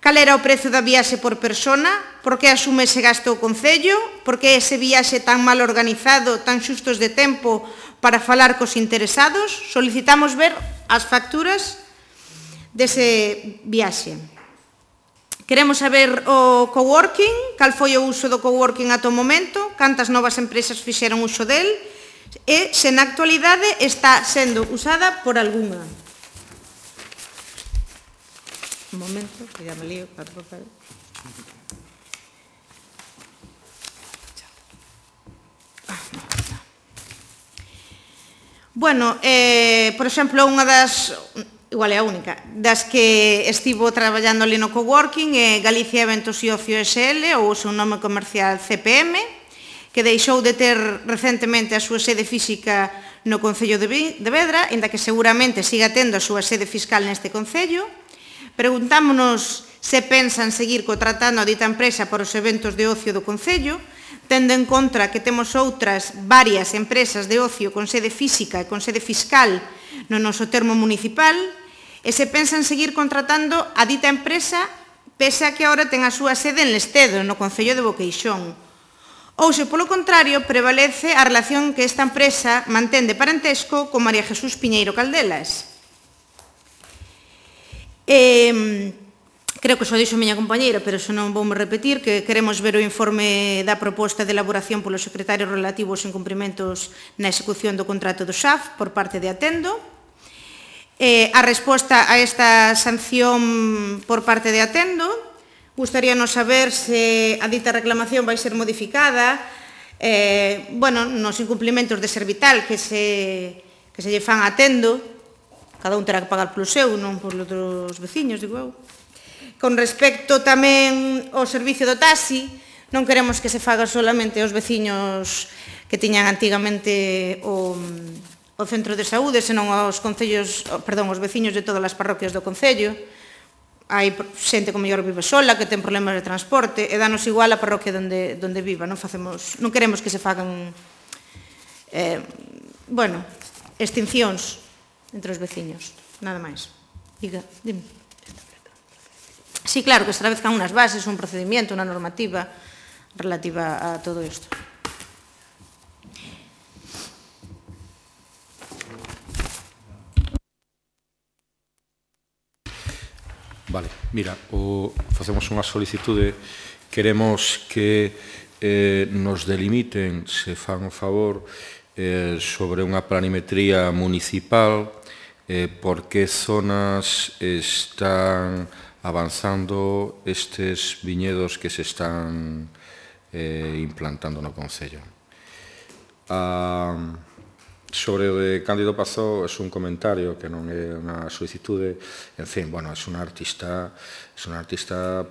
cal era o prezo da viaxe por persona, por que asume ese gasto o Concello, por que ese viaxe tan mal organizado, tan xustos de tempo para falar cos interesados. Solicitamos ver as facturas dese viaxe. Queremos saber o coworking, cal foi o uso do coworking ata o momento, cantas novas empresas fixeron uso del e se na actualidade está sendo usada por algunha. Un momento, que ya me lío para o papel. Bueno, por exemplo, unha das... igual é a única, das que estivo traballando ali no coworking é Galicia Eventos e Ocio SL, ou o seu nome comercial CPM, que deixou de ter recentemente a súa sede física no Concello de Vedra, inda que seguramente siga tendo a súa sede fiscal neste Concello. Preguntámonos se pensan seguir contratando a dita empresa para os eventos de ocio do Concello, tendo en conta que temos outras varias empresas de ocio con sede física e con sede fiscal no noso termo municipal, e se pensan seguir contratando a dita empresa pese a que agora ten a súa sede en Lestedo, no Concello de Boqueixón. Ou se, polo contrario, prevalece a relación que esta empresa mantén de parentesco con María Jesús Piñeiro Caldelas. Creo que xo dixo a miña compañeira, pero xa non voume repetir, que queremos ver o informe da proposta de elaboración polo secretario relativo aos incumprimentos na execución do contrato do XAF por parte de Atendo. A resposta a esta sanción por parte de Atendo, gustaríanos saber se a dita reclamación vai ser modificada nos incumplimentos de Servital que se lle fan a Atendo, cada un terá que pagar polo seu, non polo dos veciños, digo eu. Con respecto tamén ao servicio do taxi, non queremos que se faga solamente aos veciños que tiñan antigamente o centro de saúde, senón aos veciños de todas as parroquias do concello. Hai xente que mellor vive sola, que ten problemas de transporte, e danos igual a parroquia onde viva. Non queremos que se fagan extincións entre os veciños, nada máis. Diga, dime. Sí, claro, que establezcan unas bases, un procedimiento, unha normativa relativa a todo isto. Vale, mira, facemos unha solicitude, queremos que nos delimiten, se fan o favor, sobre unha planimetría municipal, por que zonas están avanzando estes viñedos que se están implantando no Concello. Sobre o de Cándido Pazó, é un comentario que non é unha solicitude, en fin, bueno, é unha artista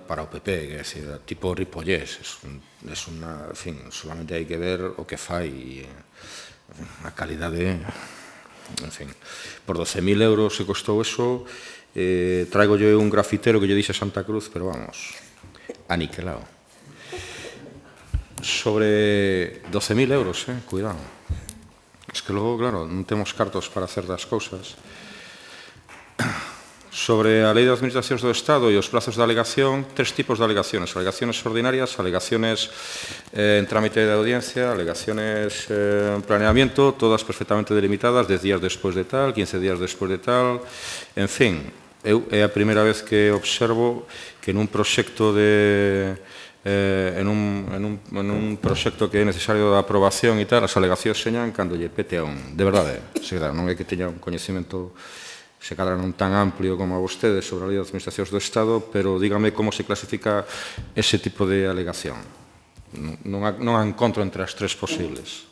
para o PP, que é decir, tipo Ripollés, en fin, solamente hai que ver o que fai, a calidade, en fin, por 12.000 euros se costou eso. Traigo yo un grafitero que lle dixe a Santa Cruz, pero vamos, aniquilado. Sobre 12.000 euros, cuidado. Es que logo, claro, non temos cartos para hacer das cousas. Sobre a Lei de Administracións do Estado e os plazos de alegación, 3 tipos de alegaciones. Alegaciones ordinarias, alegaciones en trámite de audiencia, alegaciones en planeamiento, todas perfectamente delimitadas, 10 días despois de tal, 15 días despois de tal, en fin. É a primeira vez que observo que nun proxecto en un proxecto que é necesario de aprobación e tal, as alegacións señan cando lle pete a un. De verdade, non é que teña un coñecemento se cadra non tan amplio como a vostedes sobre a Lei de Administracións do Estado, pero dígame como se clasifica ese tipo de alegación. Non a encontro entre as 3 posibles.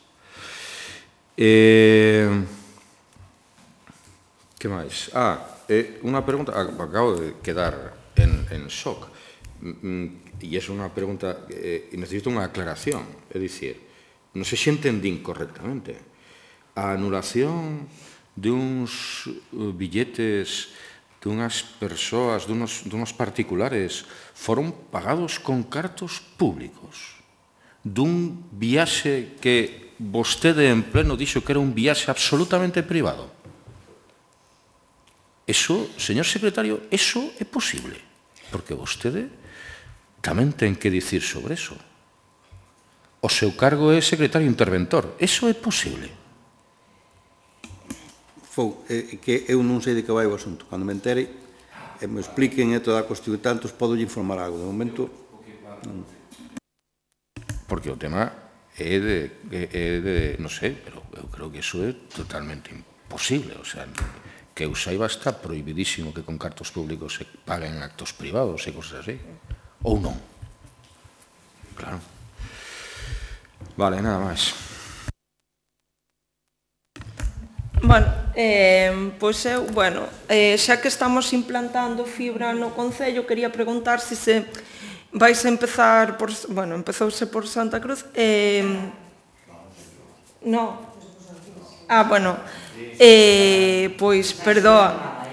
Que máis? Unha pregunta, acabo de quedar en shock, e é unha pregunta, necesito unha aclaración, é dicir, non sei se entendín correctamente, a anulación duns billetes dunhas persoas, dunos particulares, foron pagados con cartos públicos, dun viaxe que vostede en pleno dixo que era un viaxe absolutamente privado. Eso, señor secretario, eso é posible, porque vostede tamén ten que dicir sobre eso. O seu cargo é secretario interventor, eso é posible. Que eu non sei de que vai o asunto. Cando me entere, me expliquen toda a cuestión e tantos, podo lle informar algo. De momento, non. Porque o tema é de, non sei, pero eu creo que eso é totalmente imposible, o sea, que eu saiba está prohibidísimo que con cartos públicos se paguen actos privados e cosas así. Ou non. Claro. Vale, nada máis. Bueno, pois eu, xa que estamos implantando fibra no Concello, quería preguntar se vais a empezar por, empezouse por Santa Cruz, non. Pois, perdoa.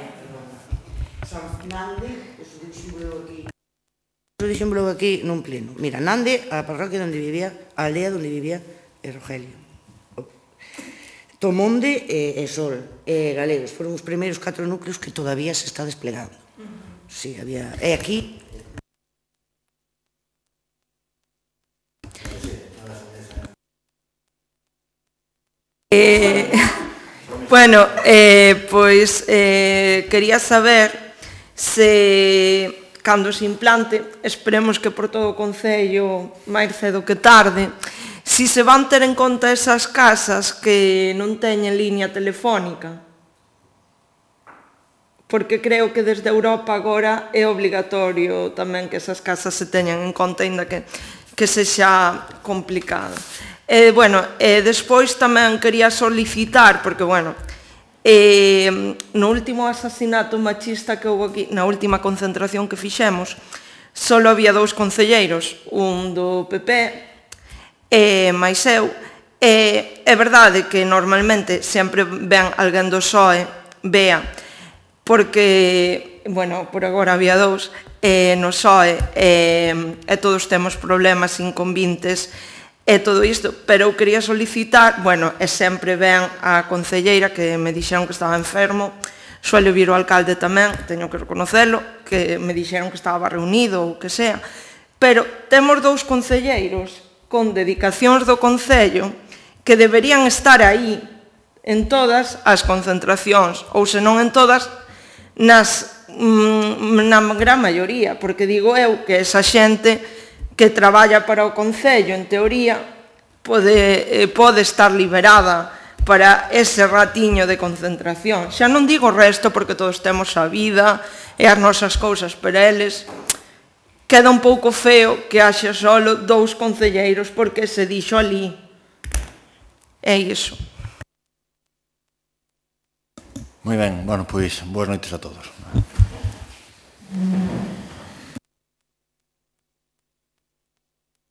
Eso dixémolo aquí nun pleno. Mira, Nande, a parroquia onde vivía, a aldea onde vivía Rogelio. Tomonde e Sol, e Galegos, foron os primeiros 4 núcleos que todavía se está desplegando. Sí, había... E aquí... Pois quería saber se cando se implante, esperemos que por todo o Concello máis cedo que tarde, si se van ter en conta esas casas que non teñen liña telefónica. Porque creo que desde Europa agora é obligatorio tamén que esas casas se teñan en conta, aínda que sexa complicado. Despois tamén quería solicitar, porque, No último asasinato machista que houve aquí, na última concentración que fixemos, só había 2 concelleiros, un do PP e máis eu. É verdade que normalmente sempre ven alguén do PSOE, vea, porque, bueno, por agora había 2, no PSOE, e todos temos problemas inconvintes e todo isto, pero eu quería solicitar, bueno, e sempre ven a concelleira que me dixeron que estaba enfermo, suele vir o alcalde tamén, teño que reconocelo, que me dixeron que estaba reunido ou que sea, pero temos 2 concelleiros con dedicacións do Concello que deberían estar aí en todas as concentracións, ou senón en todas, na gran maioría, porque digo eu que esa xente que traballa para o Concello, en teoría, pode estar liberada para ese ratiño de concentración. Xa non digo o resto, porque todos temos a vida e as nosas cousas, pero eles queda un pouco feo que haxa solo 2 concelleiros porque se dixo ali. É iso. Moi ben, bueno, pois, boas noites a todos.